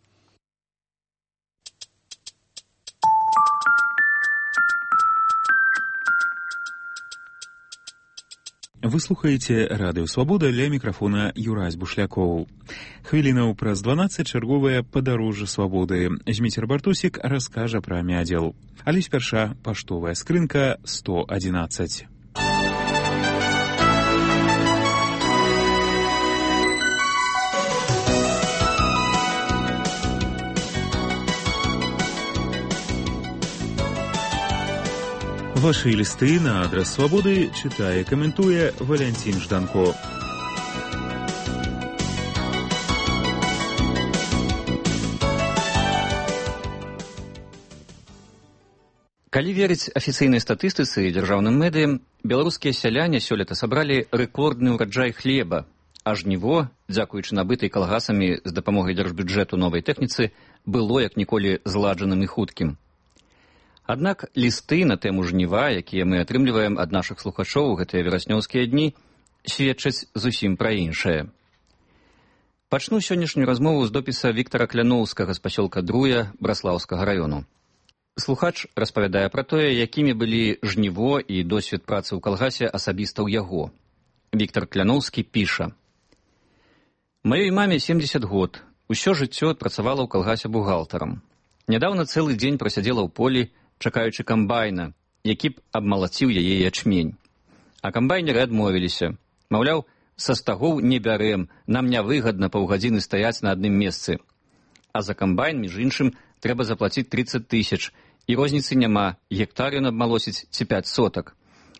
Вы слухаеце радыё Свабода, ля мікрафона Юрась Бушлякоў. Хвілінаў праз 12 чарговае падарожжа свабоды. Зміцер Бартусік раскажа пра Мядзел. Але спярша паштовая скрынка 111. Ваши листы на адрес Свободы читая, комментуя Валентин Жданко. Калі верыць афіцыйнай статыстыцы і дзяржаўным медыям, беларускія сяляне сёлета сабралі рэкордны ўраджай хлеба, а жніво, дзякуючы набытай калгасамі з дапамогай дзяржбюджэту новай тэхніцы, было як ніколі зладжаным і хуткім. Аднак лісты на тэму жніва, якія мы атрымліваем ад нашых слухачоў у гэтыя вераснёўскія дні, сведчаць зусім пра іншае. Пачну сённяшнюю размову з допіса Віктара Кляноўскага з пасёлка Друя Браслаўскага раёну. Слухач распавядае пра тое, якімі былі жніво і досвед працы ў калгасе асабіста ў яго. Віктар Кляноўскі піша: «Маёй маме 70 год. Усё жыццё працавала ў калгасе бухгалтарам. Нядаўна цэлы дзень прасядзела ў полі, чакаючы камбайна, які б абмалаціў яе ячмень. А камбайнеры адмовіліся. Маўляў, са стагоў не бярэм, нам нявыгадна паўгадзіны стаяць на адным месцы. А за камбайн, між іншым, трэба заплаціць 30 000, і розніцы няма, гектар ён абмалосіць ці 5 сотак.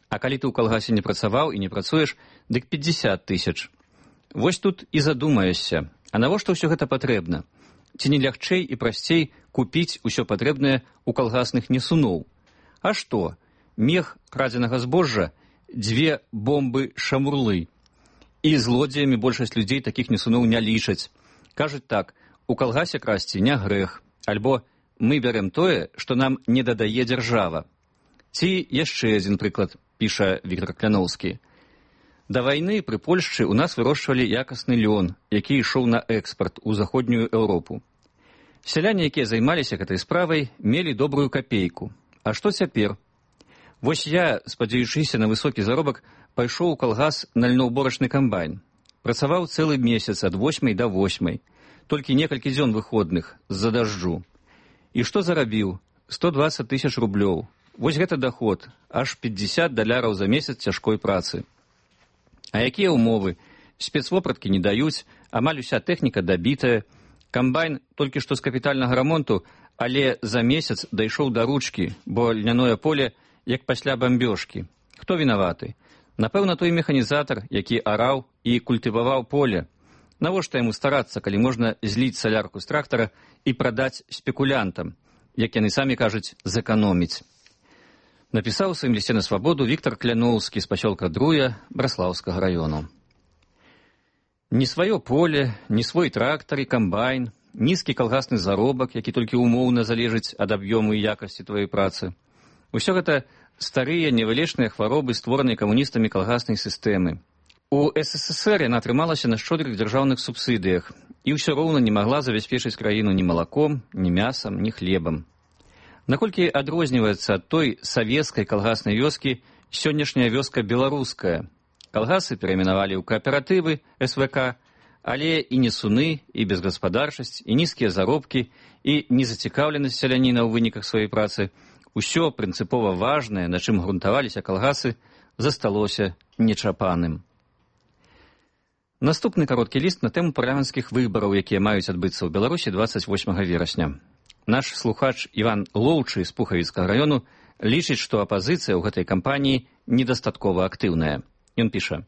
А калі ты ў калгасе не працаваў і не працуеш, дык 50 000. Вось тут і задумаешся, а навошта ўсё гэта патрэбна? Ці не лягчэй і прасцей купіць усё патрэбнае ў калгасных несуноў? А што? Мех крадзенага збожжа, 2 бомбы-шамурлы. І злодзеямі большасць людзей такіх несуноў не лічаць. Кажуць так, у калгасе красці не грэх, альбо мы бярем тое, што нам не дадае дзяржава. Ці яшчэ адзін прыклад, піша Віктар Кляноўскі. Да вайны пры Польшчы ў нас вырошчвалі якасны лён, які ішоў на экспарт у заходнюю Еўропу. Сяляне, якія займаліся гэтай справай, мелі добрую капейку. А што цяпер? Вось я, спадзяючыся на высокі заробак, пайшоў у калгас на льноўборачны камбайн. Працаваў цэлы месяц ад 8 до 8, толькі некалькі дзён выходных з-за дажджу. І што зарабіў? 120 000 рублёў. Вось гэта даход, аж $50 за месяц цяжкой працы. А якія ўмовы? Спецвопраткі не даюць, амаль уся тэхніка дабітая. Камбайн толькі што з капітальнага рамонту, але за месяц дайшоў да ручкі, бо льняное поле як пасля бамбёжкі. Хто вінаваты? Напэўна, той механізатар, які араў і культываваў поле. Навошта яму старацца, калі можна зліць салярку з трактара і прадаць спекулянтам, як яны самі кажуць, зэканоміць. Напісаў у сваім лісце на свабоду Віктар Кляноўскі з пасёлка Друя Браслаўскага раёну. Ні сваё поле, ні свой трактар і камбайн, нізкі калгасны заробак, які толькі умоўна залежыць ад аб'ёму і якасці твоей працы. Усё гэта старыя невылечныя хваробы, створаныя камуністамі калгаснай сістэмы. У СССР яна атрымалася на шчодрых дзяржаўных субсідыях і ўсё роўна не магла забяспечыць краіну ні малаком, ні мясам, ні хлебам. Наколькі адрозніваецца ад той савецкай калгаснай вёскі сённяшняя вёска беларуская. Калгасы перайменавалі ў кааператывы СВК, але і несуны, і безгаспадарчасць, і нізкія заробкі, і незацікаўленасць сяляніна ў выніках сваёй працы, усё прынцыпова важнае, на чым грунтаваліся калгасы, засталося нечапаным. Наступны кароткі ліст на тэму парламенцкіх выбараў, якія маюць адбыцца ў Беларусі 28 верасня. Наш слухач Іван Лоўчы з Пухавіцкага раёну лічыць, што апазіцыя ў гэтай кампаніі недастаткова актыўная. Ён піша: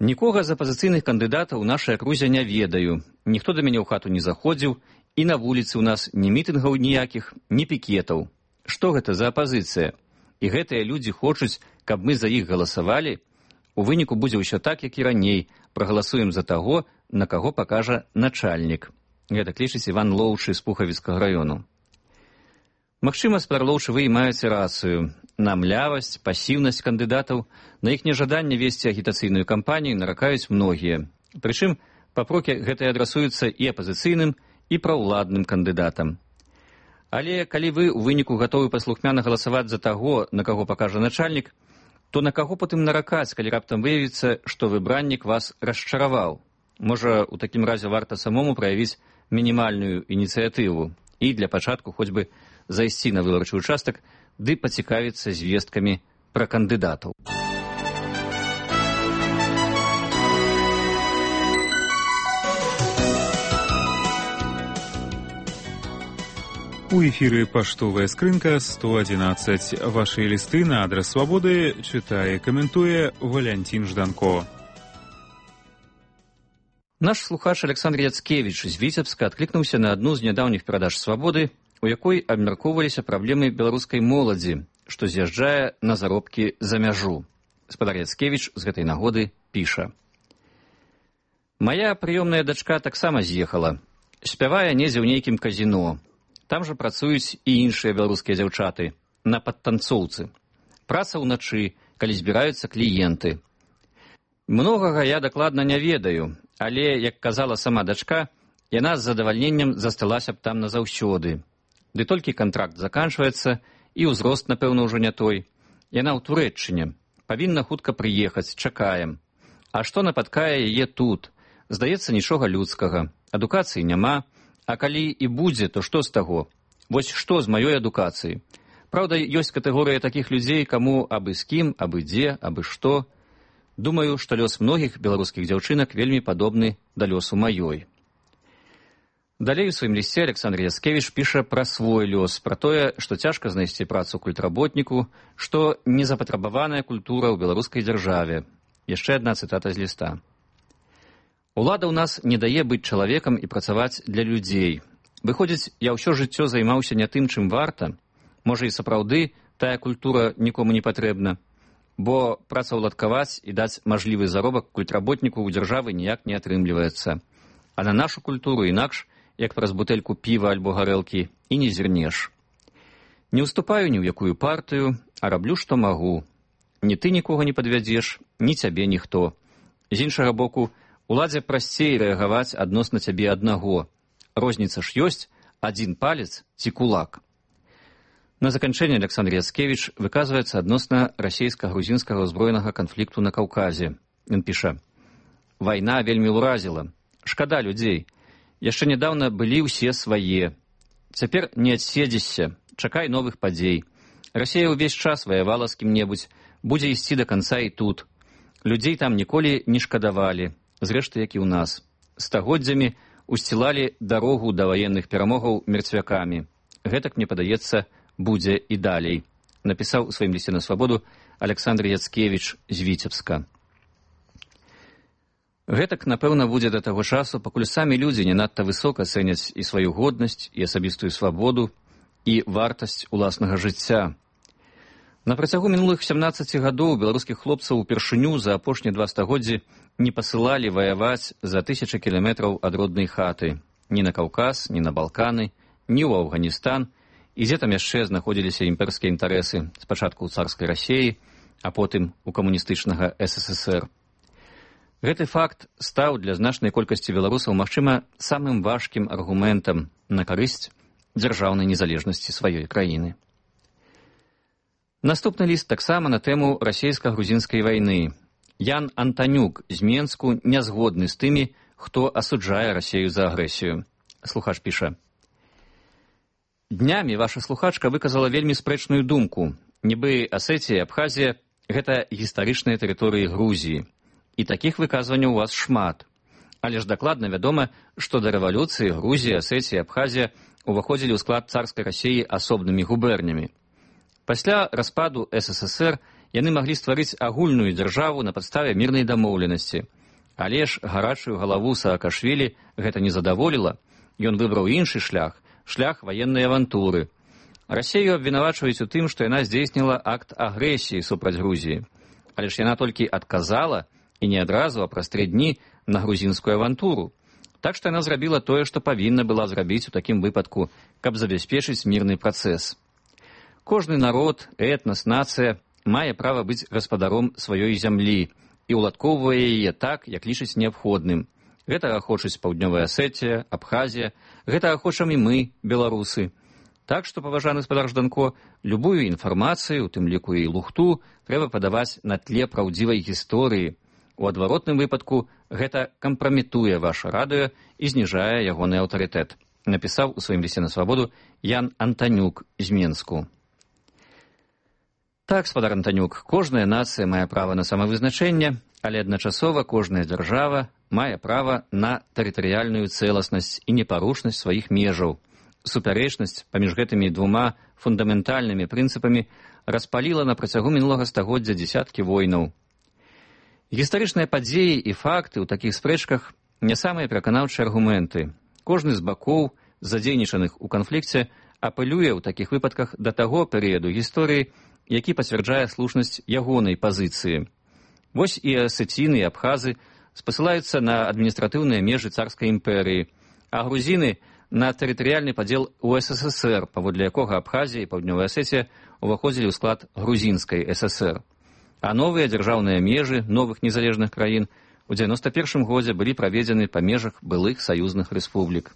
«Нікога з апазіцыйных кандыдатаў у нашай акрузе не ведаю, ніхто да мяне ў хату не заходзіў, і на вуліцы ў нас ні мітынгаў ніякіх, ні пікетаў. Што гэта за апазіцыя? І гэтыя людзі хочуць, каб мы за іх галасавалі? У выніку будзе ўсё так, як і раней, прагаласуем за таго, на каго пакажа начальнік». Гэта клічыць Іван Лоўчы з Пухавіцкага раёну. Магчыма, спадар Лоўчы, вы і маеце рацыю. На млявасць, пасіўнасць кандыдатаў, на іх нежаданне весці агітацыйную кампанію наракаюць многія. Прычым, папрокі гэтыя адрасуюцца і апазіцыйным, і праўладным кандыдатам. Але калі вы ў выніку гатовы паслухмяна галасаваць за таго, на каго пакажа начальнік, то на каго потым наракаць, калі раптам выявіцца, што выбраннік вас расчараваў? Можа, у такім разе варта самому праявіць мінімальную ініцыятыву і для пачатку хоць бы зайсці на выбарчы участак ды пацікавіцца звесткамі пра кандыдатаў. У эфіры паштовая скрынка 111. Вашы лісты на адрас свабоды чытае, каментуе Валянцін Жданко. Наш слухач Александр Яцкевіч з Віцебска адклікнуўся на адну з нядаўніх перадаж свабоды, у якой абмяркоўваліся праблемы беларускай моладзі, што з'язджае на заробкі за мяжу. Спадар Яцкевіч з гэтай нагоды піша: «Мая прыёмная дачка таксама з'ехала. Спявае недзе ў нейкім казіно. Там жа працуюць і іншыя беларускія дзяўчаты, на падтанцоўцы. Праца ўначы, калі збіраюцца кліенты. Многага я дакладна не ведаю, але, як казала сама дачка, яна з задавальненнем засталася б там назаўсёды. Ды толькі кантракт заканчваецца, і ўзрост, напэўна, ўжо не той. Яна ў Турэччыне. Павінна хутка прыехаць, чакаем. А што напаткае яе тут? Здаецца, нічога людскага. Адукацыі няма, а калі і будзе, то што з таго? Вось што з маёй адукацыі? Праўда, ёсць катэгорыя такіх людзей, каму абы з кім, абы дзе, абы што. Думаю, што лёс многіх беларускіх дзяўчынак вельмі падобны да лёсу маёй. Далей у сваім лісце Александр Яцкевіч піша пра свой лёс, пра тое, што цяжка знайсці працу культработніку, што незапатрабаваная культура ў беларускай дзяржаве. Яшчэ адна цытата з ліста. Улада ў нас не дае быць чалавекам і працаваць для людзей. Выходзіць, я ўсё жыццё займаўся не тым, чым варта. Можа, і сапраўды тая культура нікому не патрэбна, бо працаўладкаваць і даць мажлівы заробак культработніку ў дзяржавы ніяк не атрымліваецца. А на нашу культуру інакш, як праз бутэльку піва альбо гарэлкі, і не зірнеш. Не ўступаю ні ў якую партыю, а раблю, што магу. Ні ты нікога не падвядзеш, ні цябе ніхто. З іншага боку, уладзе прасцей рэагаваць адносна цябе аднаго. Розніца ж ёсць, адзін палец ці кулак. На заканчэнне Александр Яцкевіч выказваецца адносна расійска-грузінскага ўзброенага канфлікту на Каўказе. Ён піша: «Вайна вельмі ўразіла. Шкада людзей. Яшчэ нядаўна былі ўсе свае. Цяпер не адседзішся, чакай новых падзей. Расія ўвесь час ваявала з кім-небудзь, будзе ісці да канца і тут. Людзей там ніколі не шкадавалі, зрэшты, як і ў нас. Стагоддзямі усцілалі дарогу да ваенных перамогаў мерцвякамі. Гэтак, мне падаецца, будзе і далей», напісаў у сваім лісце на свабоду Александр Яцкевіч з Віцебска. Гэтак, напэўна, будзе да таго часу, пакуль самі людзі не надта высока цэняць і сваю годнасць, і асабістую свабоду, і вартасць уласнага жыцця. На працягу мінулых 17 гадоў беларускіх хлопцаў упершыню за апошнія 2 стагоддзі не пасылалі ваяваць за 1000 кіламетраў ад роднай хаты. Ні на Каўказ, ні на Балканы, ні ў Афганістан, і дзе там яшчэ знаходзіліся імперскія інтарэсы, спачатку ў царскай Расіі, а потым у камуністычнага СССР. Гэты факт стаў для значнай колькасці беларусаў, магчыма, самым важкім аргументам на карысць дзяржаўнай незалежнасці сваёй краіны. Наступны ліст таксама на тэму расійска-грузінскай вайны. Ян Антанюк з Менску не згодны з тымі, хто асуджае Расію за агрэсію. Слухач піша: «Днямі ваша слухачка выказала вельмі спрэчную думку. Нібы Асетія і Абхазія – гэта гістарычныя тэрыторыі Грузіі. І такіх выказванняў у вас шмат. Але ж дакладна вядома, што да рэвалюцыі Грузія, Асетія і Абхазія уваходзілі ў склад царскай Расіі асобнымі губернямі. Пасля распаду СССР яны маглі стварыць агульную дзяржаву на падставе мірнай дамоўленасці. Але ж гарачую галаву Саакашвілі гэта не задаволіла. Ён выбраў іншы шлях – шлях ваеннай авантуры. Расію абвінавачваюць у тым, што яна здзейсніла акт агрэсіі супраць Грузіі. Але ж яна толькі адказала, і не адразу, а праз 3 дні, на грузінскую авантуру. Так што яна зрабіла тое, што павінна была зрабіць у такім выпадку, каб забяспечыць мірны працэс. Кожны народ, этнас, нацыя мае права быць гаспадаром сваёй зямлі і ўладкоўвае яе так, як лічыць неабходным. Гэтага хочуць Паўднёвая Асетія, Абхазія, гэтага хочам і мы, беларусы. Так што, паважаны спадар Жданко, любую інфармацыю, у тым ліку і лухту, трэба падаваць на тле праўдзівай гісторыі. У адваротным выпадку гэта кампраметуе ваше радыё і зніжае ягоны аўтарытэт, напісаў у сваім лісце на свабоду Ян Антанюк з Менску. Так, спадар Антанюк, кожная нацыя мае права на самавызначэнне, але адначасова кожная дзяржава мае права на тэрытарыяльную цэласнасць і непарушнасць сваіх межаў. Супярэчнасць паміж гэтымі 2 фундаментальнымі прынцыпамі распаліла на працягу мінулага стагоддзя дзесяткі войнаў. Гістарычныя падзеі і факты ў такіх спрэчках не самыя пераканаўчыя аргументы. Кожны з бакоў, задзейнічаных у канфлікце, апелюе ў такіх выпадках да таго перыяду гісторыі, які пацвярджае слушнасць ягонай пазіцыі. Вось і асеціны і абхазы спасылаюцца на адміністратыўныя межы царскай імперыі, а грузіны – на тэрытарыяльны падзел у СССР, паводле якога Абхазія і Паўднёвая Асетія ўваходзілі ў склад грузінскай ССР. А новыя дзяржаўныя межы новых незалежных краін у 91 годзе былі праведзены па межах былых саюзных рэспублік.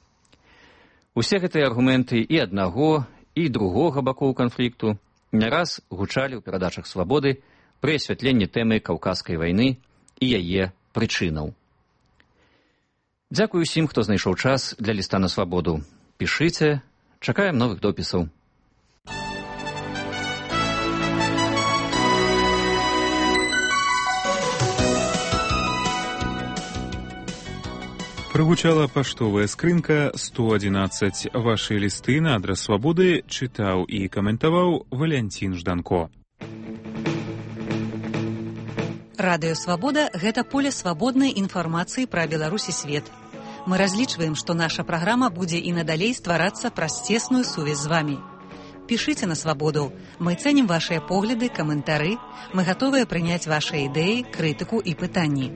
Усе гэтыя аргументы і аднаго, і другога бакоў канфлікту не раз гучалі ў перадачах «Свабоды» пры асвятленні тэмы Каўказскай вайны і яе прычынаў. Дзякую усім, хто знайшоў час для ліста на свабоду. Пішыце, чакаем новых допісаў. Прогучала паштовая скрынка 111. Ваши лісты на адрас свабоды чытаў і каментаваў Валянцін Жданко. Радыё «Свабода» – гэта поле свабоднай інфармацыі пра Беларусь і свет. Мы разлічваем, што наша праграма будзе і надалей стварацца праз цесную сувязь з вамі. Пішыце на «Свабоду». Мы цэнім вашыя погляды, каментары. Мы гатовыя прыняць вашыя ідэі, крытыку і пытанні.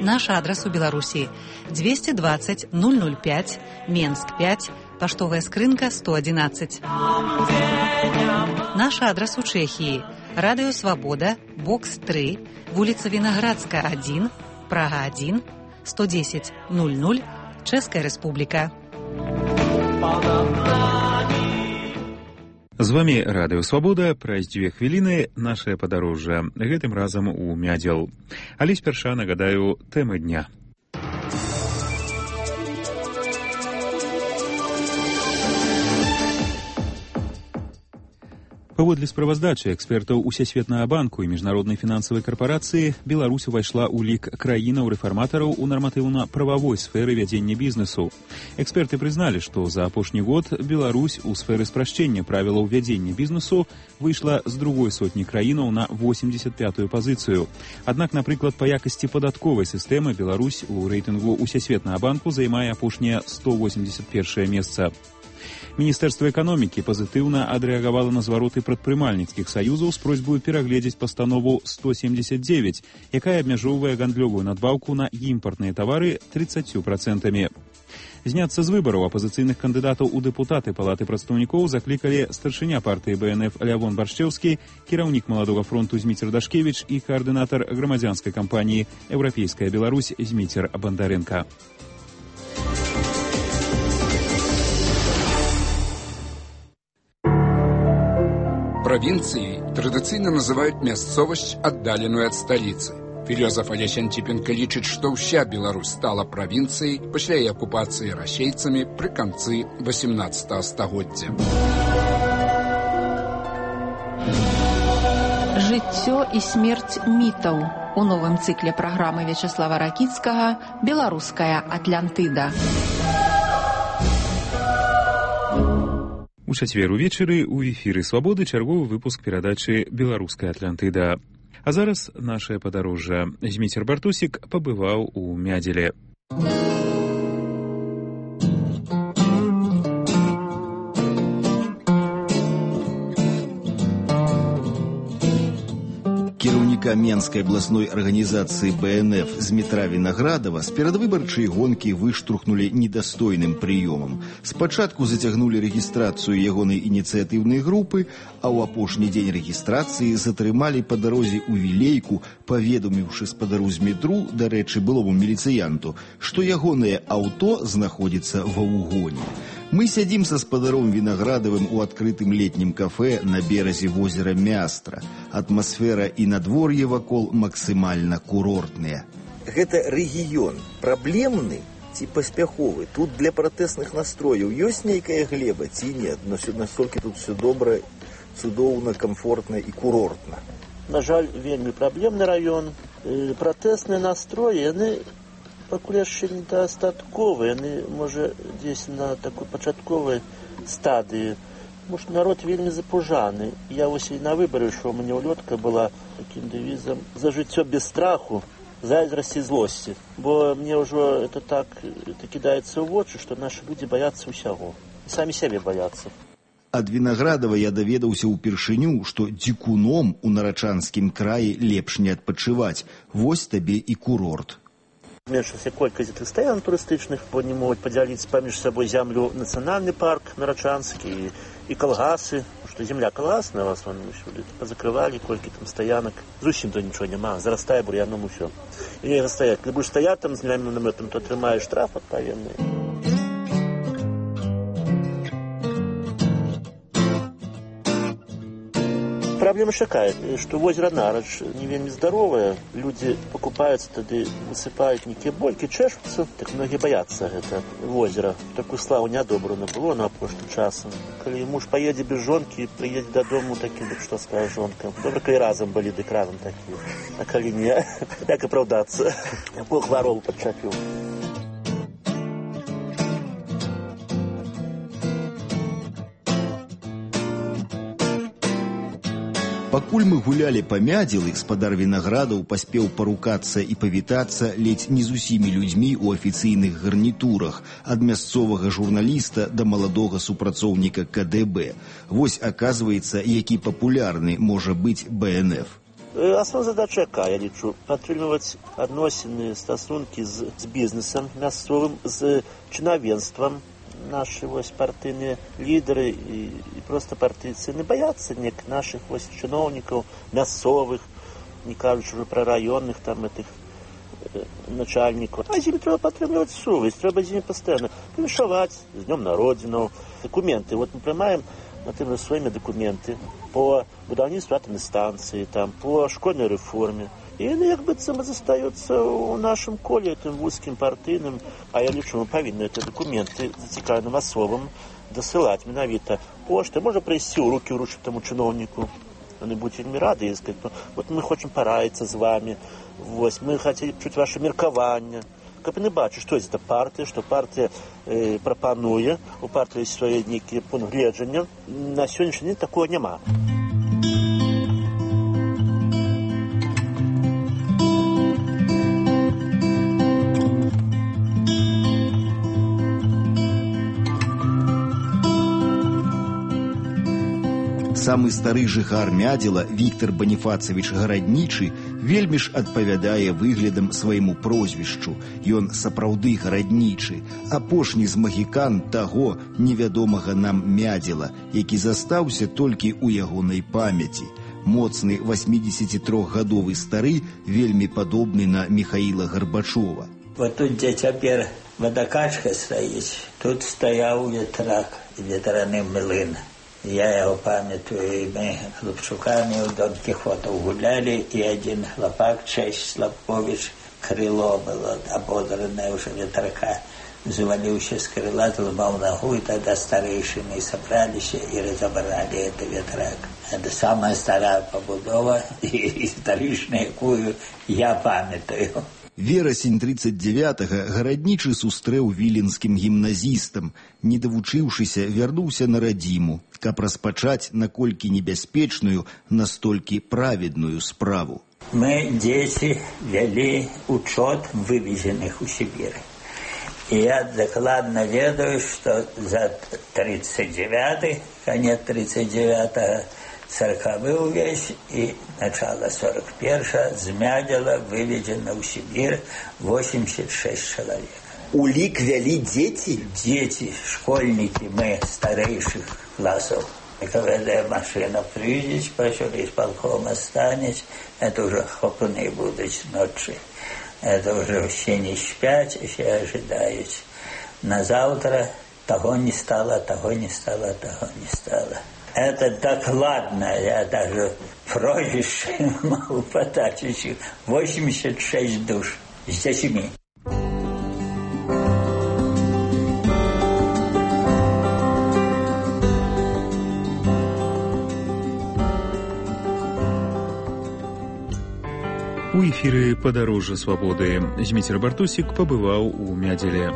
Наш адрас у Беларусі 220 005, Менск 5, паштовая скрынка 111. Наш адрас у Чэхіі. Радыё «Свабода», бокс 3, вуліца Вінаградская 1, Прага 1, 110 00, Чэшская Рэспубліка. З вами Радыё Свабода. Праз 2 хвіліны нашае падарожжа. Гэтым разам у Мядзел. Але спярша нагадаю тэмы дня. Паводле справаздачы экспертаў Усесветнага банку і Міжнароднай фінансавай карпорацыі, Беларусь увайшла ў лік краінаў-рэфарматараў у нарматыўна-прававой сферы вядзення бізнесу. Эксперты прызналі, што за апошні год Беларусь у сферы спрашчэння правілаў вядзення бізнесу выйшла з другой сотні краінаў на 85-ю пазіцыю. Аднак, напрыклад, па якасці падатковай сістэмы Беларусь у рэйтынгу Усесветнага банку займае апошняе 181 месца. Міністэрства эканомікі пазітыўна адрэагавала на звароты прадпрымальніцкіх саюзаў з просьбаю перагледзець пастанову 179, якая абмяжоўвае гандлёвую надбаўку на імпартныя тавары 30%. Зняцца з выбараў апазіцыйных кандыдатаў у дэпутаты Палаты прадстаўнікоў заклікалі старшыня партыі БНФ Лявон Баршчэўскі, кіраўнік Маладога фронту Зміцер Дашкевіч і каардынатар грамадзянскай кампаніі «Еўрапейская Беларусь» Зміцер Бандарэнка. Провинцией традыцыйна называют мясцовасць, аддаленую ад сталіцы. Філёзаф Алесь Антипенко лічыць, што ўся Беларусь стала правінцыяй пасля яе акупацыі расейцамі пры канцы 18 стагоддзя. Жыццё і смерць мітаў у новым цыкле праграмы Вячеслава Ракіцкага «Беларуская Атлантыда». У чацвер увечары ў эфіры «Свабоды» чарговы выпуск перадачы «Беларуская Атлантыда». А зараз нашае падарожжа. Зміцер Бартусік пабываў у Мядзеле. Кіраўніка Менскай абласной арганізацыі БНФ Змітра Вінаградава з перадвыбарчай гонкі выштурхнулі недастойным прыёмам. Спачатку зацягнулі рэгістрацыю ягонай ініцыятыўнай групы, а ў апошні дзень рэгістрацыі затрымалі па дарозе ў Вілейку, паведаміўшы спадару Змітру, дарэчы, былому міліцыянту, што ягонае аўто знаходзіцца ва ўгоне. Мы сядзім са спадаром Вінаградавым у адкрытым летнім кафэ на беразе возера Мястра. Атмасфера і надвор'е вакол максімальна курортныя. Гэта рэгіён праблемны ці паспяховы? Тут для пратэсных настрояў ёсць нейкая глеба ці нет? Настолькі тут все добра, цудоўна, комфортна і курортна. На жаль, вельмі праблемны раён. Пратэсныя настроі, яны пакуль яшчэ недастатковыя, яны, можа, дзесь на такой пачатковай стадыі. Может, народ вельмі запужаны. Я вось і на выбары ішоў, у мяне ўлётка была такім дэвізам «За жыццё без страху, зайздрасці, злосці». Бо мне ўжо это так кідаецца ў вочы, што нашы людзі баяцца ўсяго. Самі сябе баяцца. Ад Вінаградава я даведаўся ўпершыню, што дзікуном у Нарачанскім краі лепш не адпачываць. Вось табе і курорт. Зменшылася колькасць гэтых стаян турыстычных, бо не могуць падзяліць паміж сабой зямлю нацыянальны парк Нарачанскі і калгасы. что земля колгасная в основном, позакрывали, кольки там стоянок. Зусім то ничего нема, зарастая бурьяном все. И не стоять. Когда будешь стоять там с земляным наметом, то отрымаешь штраф отповедный. Проблема такая, что озеро Нарадж не вельми здоровое, люди покупаются, тогда высыпают некие больки, чешутся, так многие боятся это озеро. Такую славу неодобрано было на прошлым часом. Когда муж поедет без жонки, приедет до дому таким, так что скажет жонка. Добре, коли разом были, так разом такие. А коли не, как оправдаться? Бог ворол подчапил. Пакуль мы гулялі па мядзелы, спадар вінаградаў паспеў парукацца і павітацца ледзь не з усімі людзьмі ў афіцыйных гарнітурах, ад мясцовага журналіста да маладога супрацоўніка КДБ. Вось, аказваецца, які папулярны можа быць БНФ. Основная задача якая, я лічу, падтрымліваць адносіны, стасункі з бізнесам мясцовым, з чынавенствам. Наши партийные лидеры и просто партийцы не боятся наших чиновников, мясовых, не кажучи уже про районных там этих начальников. А зимой треба подтримывать совесть, треба зимой постоянно вишивать с Днем Народину. Документы, вот мы приймаем, например, своими документы по будівництву атомной станции, там, по школьной реформе. И они как бы застаются в нашем коле, этим узким партийным, а я лично мы повинны эти документы зацікавленным особам досылать менавіта пошты. Можно прийти у руки вручить тому чиновнику. Они будут вельми рады и сказать, вот мы хотим порадиться с вами, вот, мы хотим чуть ваше меркование. Как не бачу, что это партия, что партия пропонує, у партии есть свои некие пункты гледження. На сегодняшний день такого нема. Самы стары жыхар Мядзела, Віктор Баніфацавіч Гараднічы, вельмі ж адпавядае выглядам свайму прозвішчу. Ён сапраўды гараднічы, апошні з магікан таго невядомага нам Мядзела, які застаўся толькі ў ягонай памяці. Моцны 83-гадовы стары, вельмі падобны на Михаіла Гарбачова. Вот тут, где цяпер водокачка стаіць, тут стаяў ветрак, ветраны млын. Я его памятаю, мы хлопчуками у Дон Кихота гуляли, и один хлопак, Честь Славкович, крыло было ободранное уже ветрака, завалился с крыла, ломал ногу, и тогда старейшины собрались и разобрали это ветрак. Это самая старая побудова, и историчная, якую я памятаю. Верасень 39-га Гараднічы сустрэў віленскім гімназістам. Не давучыўшыся, вярнуўся на радзіму, каб распачаць наколькі небяспечную, настолькі праведную справу. Мы, дети, вели учет вывезенных у Сибири. И я докладно ведаю, что за 39-й, конец 39-го, 40-й весь и начало 41-го з Мядзела выведено в Сибирь 86 человек. Улик вели дети? Дети, школьники, мы старейших классов. И когда машина приедет, пошел из полкома станет, это уже хопуны будут ночи. Это уже все не спят, все ожидают. На завтра того не стало, того не стало, того не стало. Это докладно, я даже прозвище могу подать. 86 душ с детьми. У эфіры «Падарожжа свабоды» Зміцер Бартусік пабываў у Мядзеле.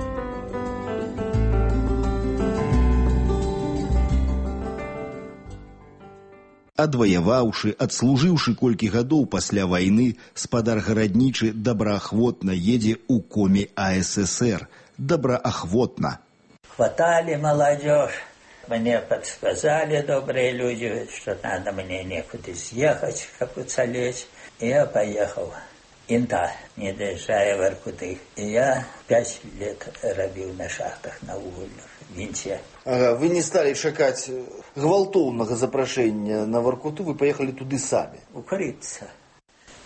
Адваяваўшы, адслужыўшы колькі гадоў пасля вайны, спадар Гараднічы добраахвотна едзе ў коме АССР. Добраахвотна. Хватали молодежь. Мне подсказали добрые люди, что надо мне некуда съехать, как уцелеть. И я поехал. Инта, не доезжая в Иркутск. И я 5 лет робил на шахтах на угольных. вінце. Ага, вы не стали чакаць гвалтоўнага запрашэння на Воркуту, вы поехали туды самі. Укрыться.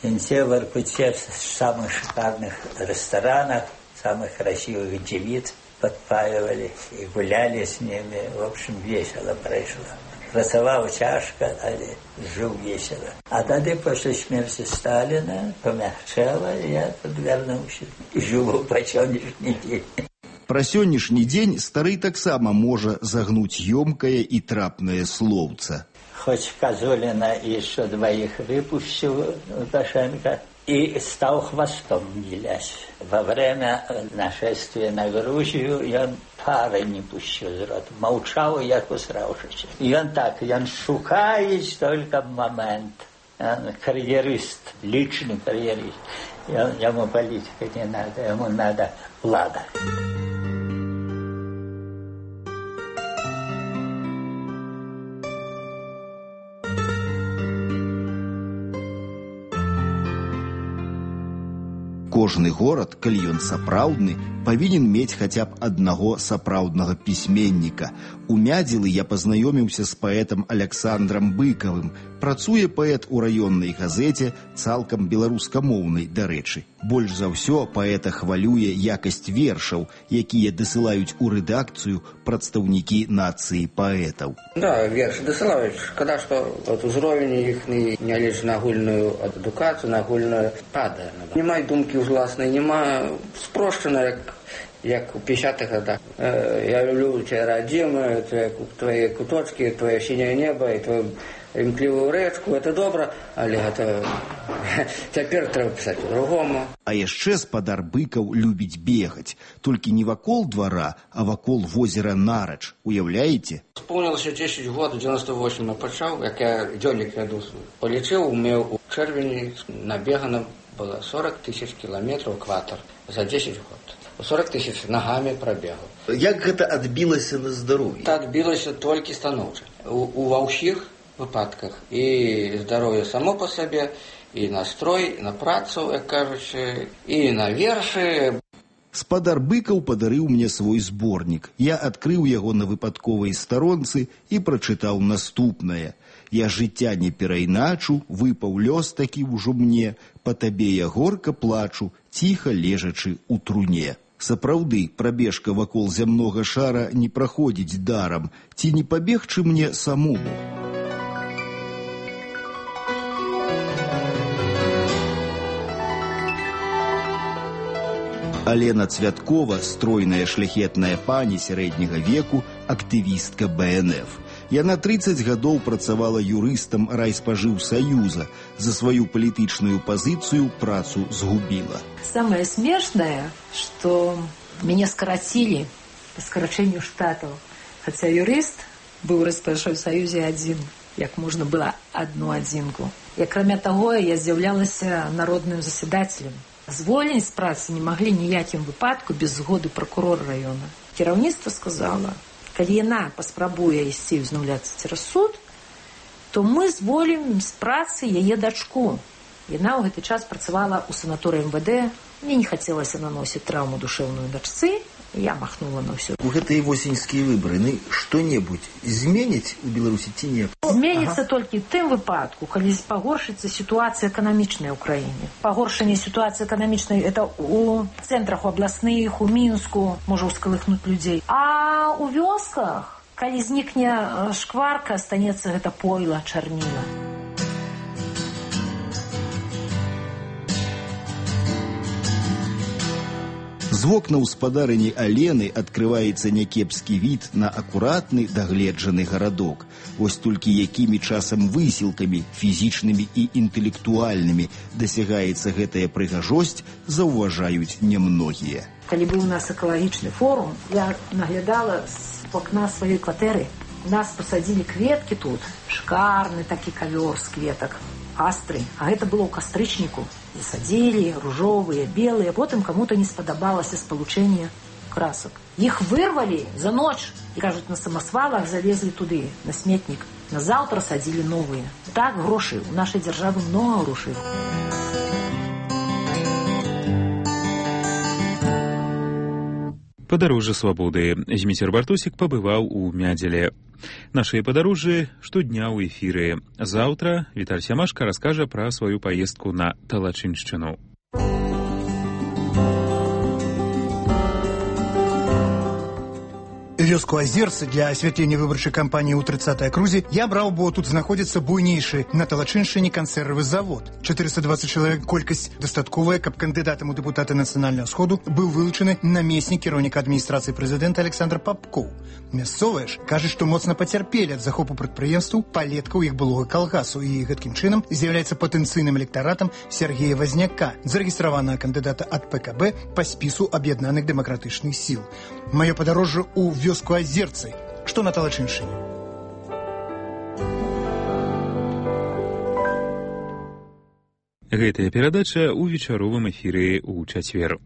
Винте в Воркуте в самых шикарных ресторанах, самых красивых девиц подпаивали и гуляли с ними. В общем, весело прошло. Працаваў цяжка, але жыў весело. А тады пасля смерти Сталина помягчало, я тут вернуўся і жыву па сённяшні дзень. Пра сённяшні дзень стары таксама можа загнуць ёмкае і трапнае слоўца. Хоть Козулина и еще двоих выпустил Лукашенко и стал хвостом вилять. Во время нашествия на Грузию он пары не пустил из рота. Молчал, як усравшись. И он так, он шукает только момент. Он карьерист, личный карьерист. Ему политика не надо, ему надо влада. Кожны горад, калі ён сапраўдны, павінен мець хаця б аднаго сапраўднага пісьменніка. У Мядзілы я пазнаёміўся з паэтам Аляксандрам Быкавым. Працуе паэт у раённай газеце, цалкам беларускамоўнай, дарэчы. Больш за ўсё паэта хвалюе якасць вершаў, якія дасылаюць у рэдакцыю прадстаўнікі нацыі паэтаў. Да, вершы дасылаюць. Шкада, што узровень іхні, нягледзячы на агульную адукацыю, на агульную падае. Няма думкі ўжласнай, няма спрошчана, як у 50-х годах. Я люблю тебя, родимую, твои куточки, твое синее небо и твою імклівую рэчку, это добра, але гэта цяпер трэба пісаць по-другому. А яшчэ спадар Быкаў любіць бегаць, толькі не вакол двара, а вакол возера Нарач. Уяўляеце? Спомнілася 10 год, 98 я пачаў, як я дзённік вяду. Палічыў, у чэрвені набегана было 40 тысяч кілометраў экватар за 10 год. 40 тысяч ногами пробегал. Як гэта адбілася на здароўі? Это адбілася толькі станоўча. Ва ўсіх выпадках і здароўе само по сабе, і настрой, на працу, як кажучы, і на вершы. Спадар Быкаў падарыў мне свой зборнік. Я адкрыў яго на выпадковай старонцы і прачытаў наступнае. Я жыцця не перайначу, выпаў лёс такі ўжо мне, па табе я горка плачу, ціха лежачы ў труне. Сапраўды, прабежка вакол зямнога шара не праходзіць дарам, ці не пабегчы мне самому? Алена Цвяткова, стройная шляхетная пані сярэдняга веку, актывістка БНФ. Яна 30 гадоў працавала юрыстам райспажыўсаюза. За сваю палітычную пазіцыю працу згубіла. Самое смешное, что меня скоротили по скорочению штатов. Хотя юрист был в Райспажыўсаюзе один, як можно было одну адзінку. И кроме того, я з'яўлялась народным заседателем. Звольніць з працы не могли ніякім выпадку без згоды прокурора района. Кіраўніцтва сказала, калі яна паспрабуе ісці ўзнаўляцца цераз суд, то мы зволім з працы яе дачку. Яна ў гэты час працавала ў санаторыі МВД. Мне не хацелася наносіць траўму душэўную дачцы, і я махнула на ўсё. У гэтыя восеньскія выбары што-небудзь зменіць у Беларусі ці не? Зменіцца толькі ў тым выпадку, калі пагоршыцца сітуацыя эканамічная ў краіне. Пагоршэнне сітуацыі эканамічнай это у цэнтрах абласных, у Мінску можа ўскалыхнуць людзей. А у вёсках, калі знікне шкварка, станецца гэта пойла, чарніла. З вокнаў спадарыні Алены адкрываецца някепскі від на акуратны, дагледжаны гарадок. Вось толькі якімі часам высілкамі, фізічнымі і інтэлектуальнымі дасягаецца гэтая прыгажосць, заўважаюць немногія. Калі быў у нас экалагічны форум, я наглядала з окна сваёй кватэры. У нас пасадзілі кветкі тут, шикарны такі кавёр з кветак. Астры, а гэта было ў кастрычніку. Засадзілі, ружовыя, белыя, потым каму-то не спадабалася спалучэнне красак. Іх вырвалі за ноч і, кажуць, на самасвалах залезлі туды, на сметнік. Назаўтра садзілі новыя. Так, грошы, у нашай дзяржавы много грошай. Падарожжа свабоды. Зміцер Бартосік пабываў у Мядзеле. Нашыя падарожжы штодня ў эфіры. Заўтра Віталь Сямашка раскажа пра сваю паездку на Талачыншчыну. Вёску Азерцы для асвятлення выбарчай кампаніі ў 30-й акрузе я браў, бо тут знаходзіцца буйнейшы на Талачыншчыне кансервы завод. 420 чалавек, колькасць дастатковая, каб кандыдатам у дэпутаты нацыянальнага сходу быў вылучаны намеснік кіраўніка адміністрацыі прэзідэнта Александр Папкоў. Мясцовыя ж кажуць, што моцна пацярпелі ад захопу прадпрыемстваў палеткаў іх былога калгасу і гэткім чынам з'яўляецца патэнцыйным электаратам Сергея Вазняка, зарэгістраванага кандыдата ад ПКБ па спісу аб'яднаных дэмакратычных сіл. Маё падарожжа ў вёску Азерцы, што на Талачыншчыне. Гэтая перадача ў вечаровым эфіры ў чацвер.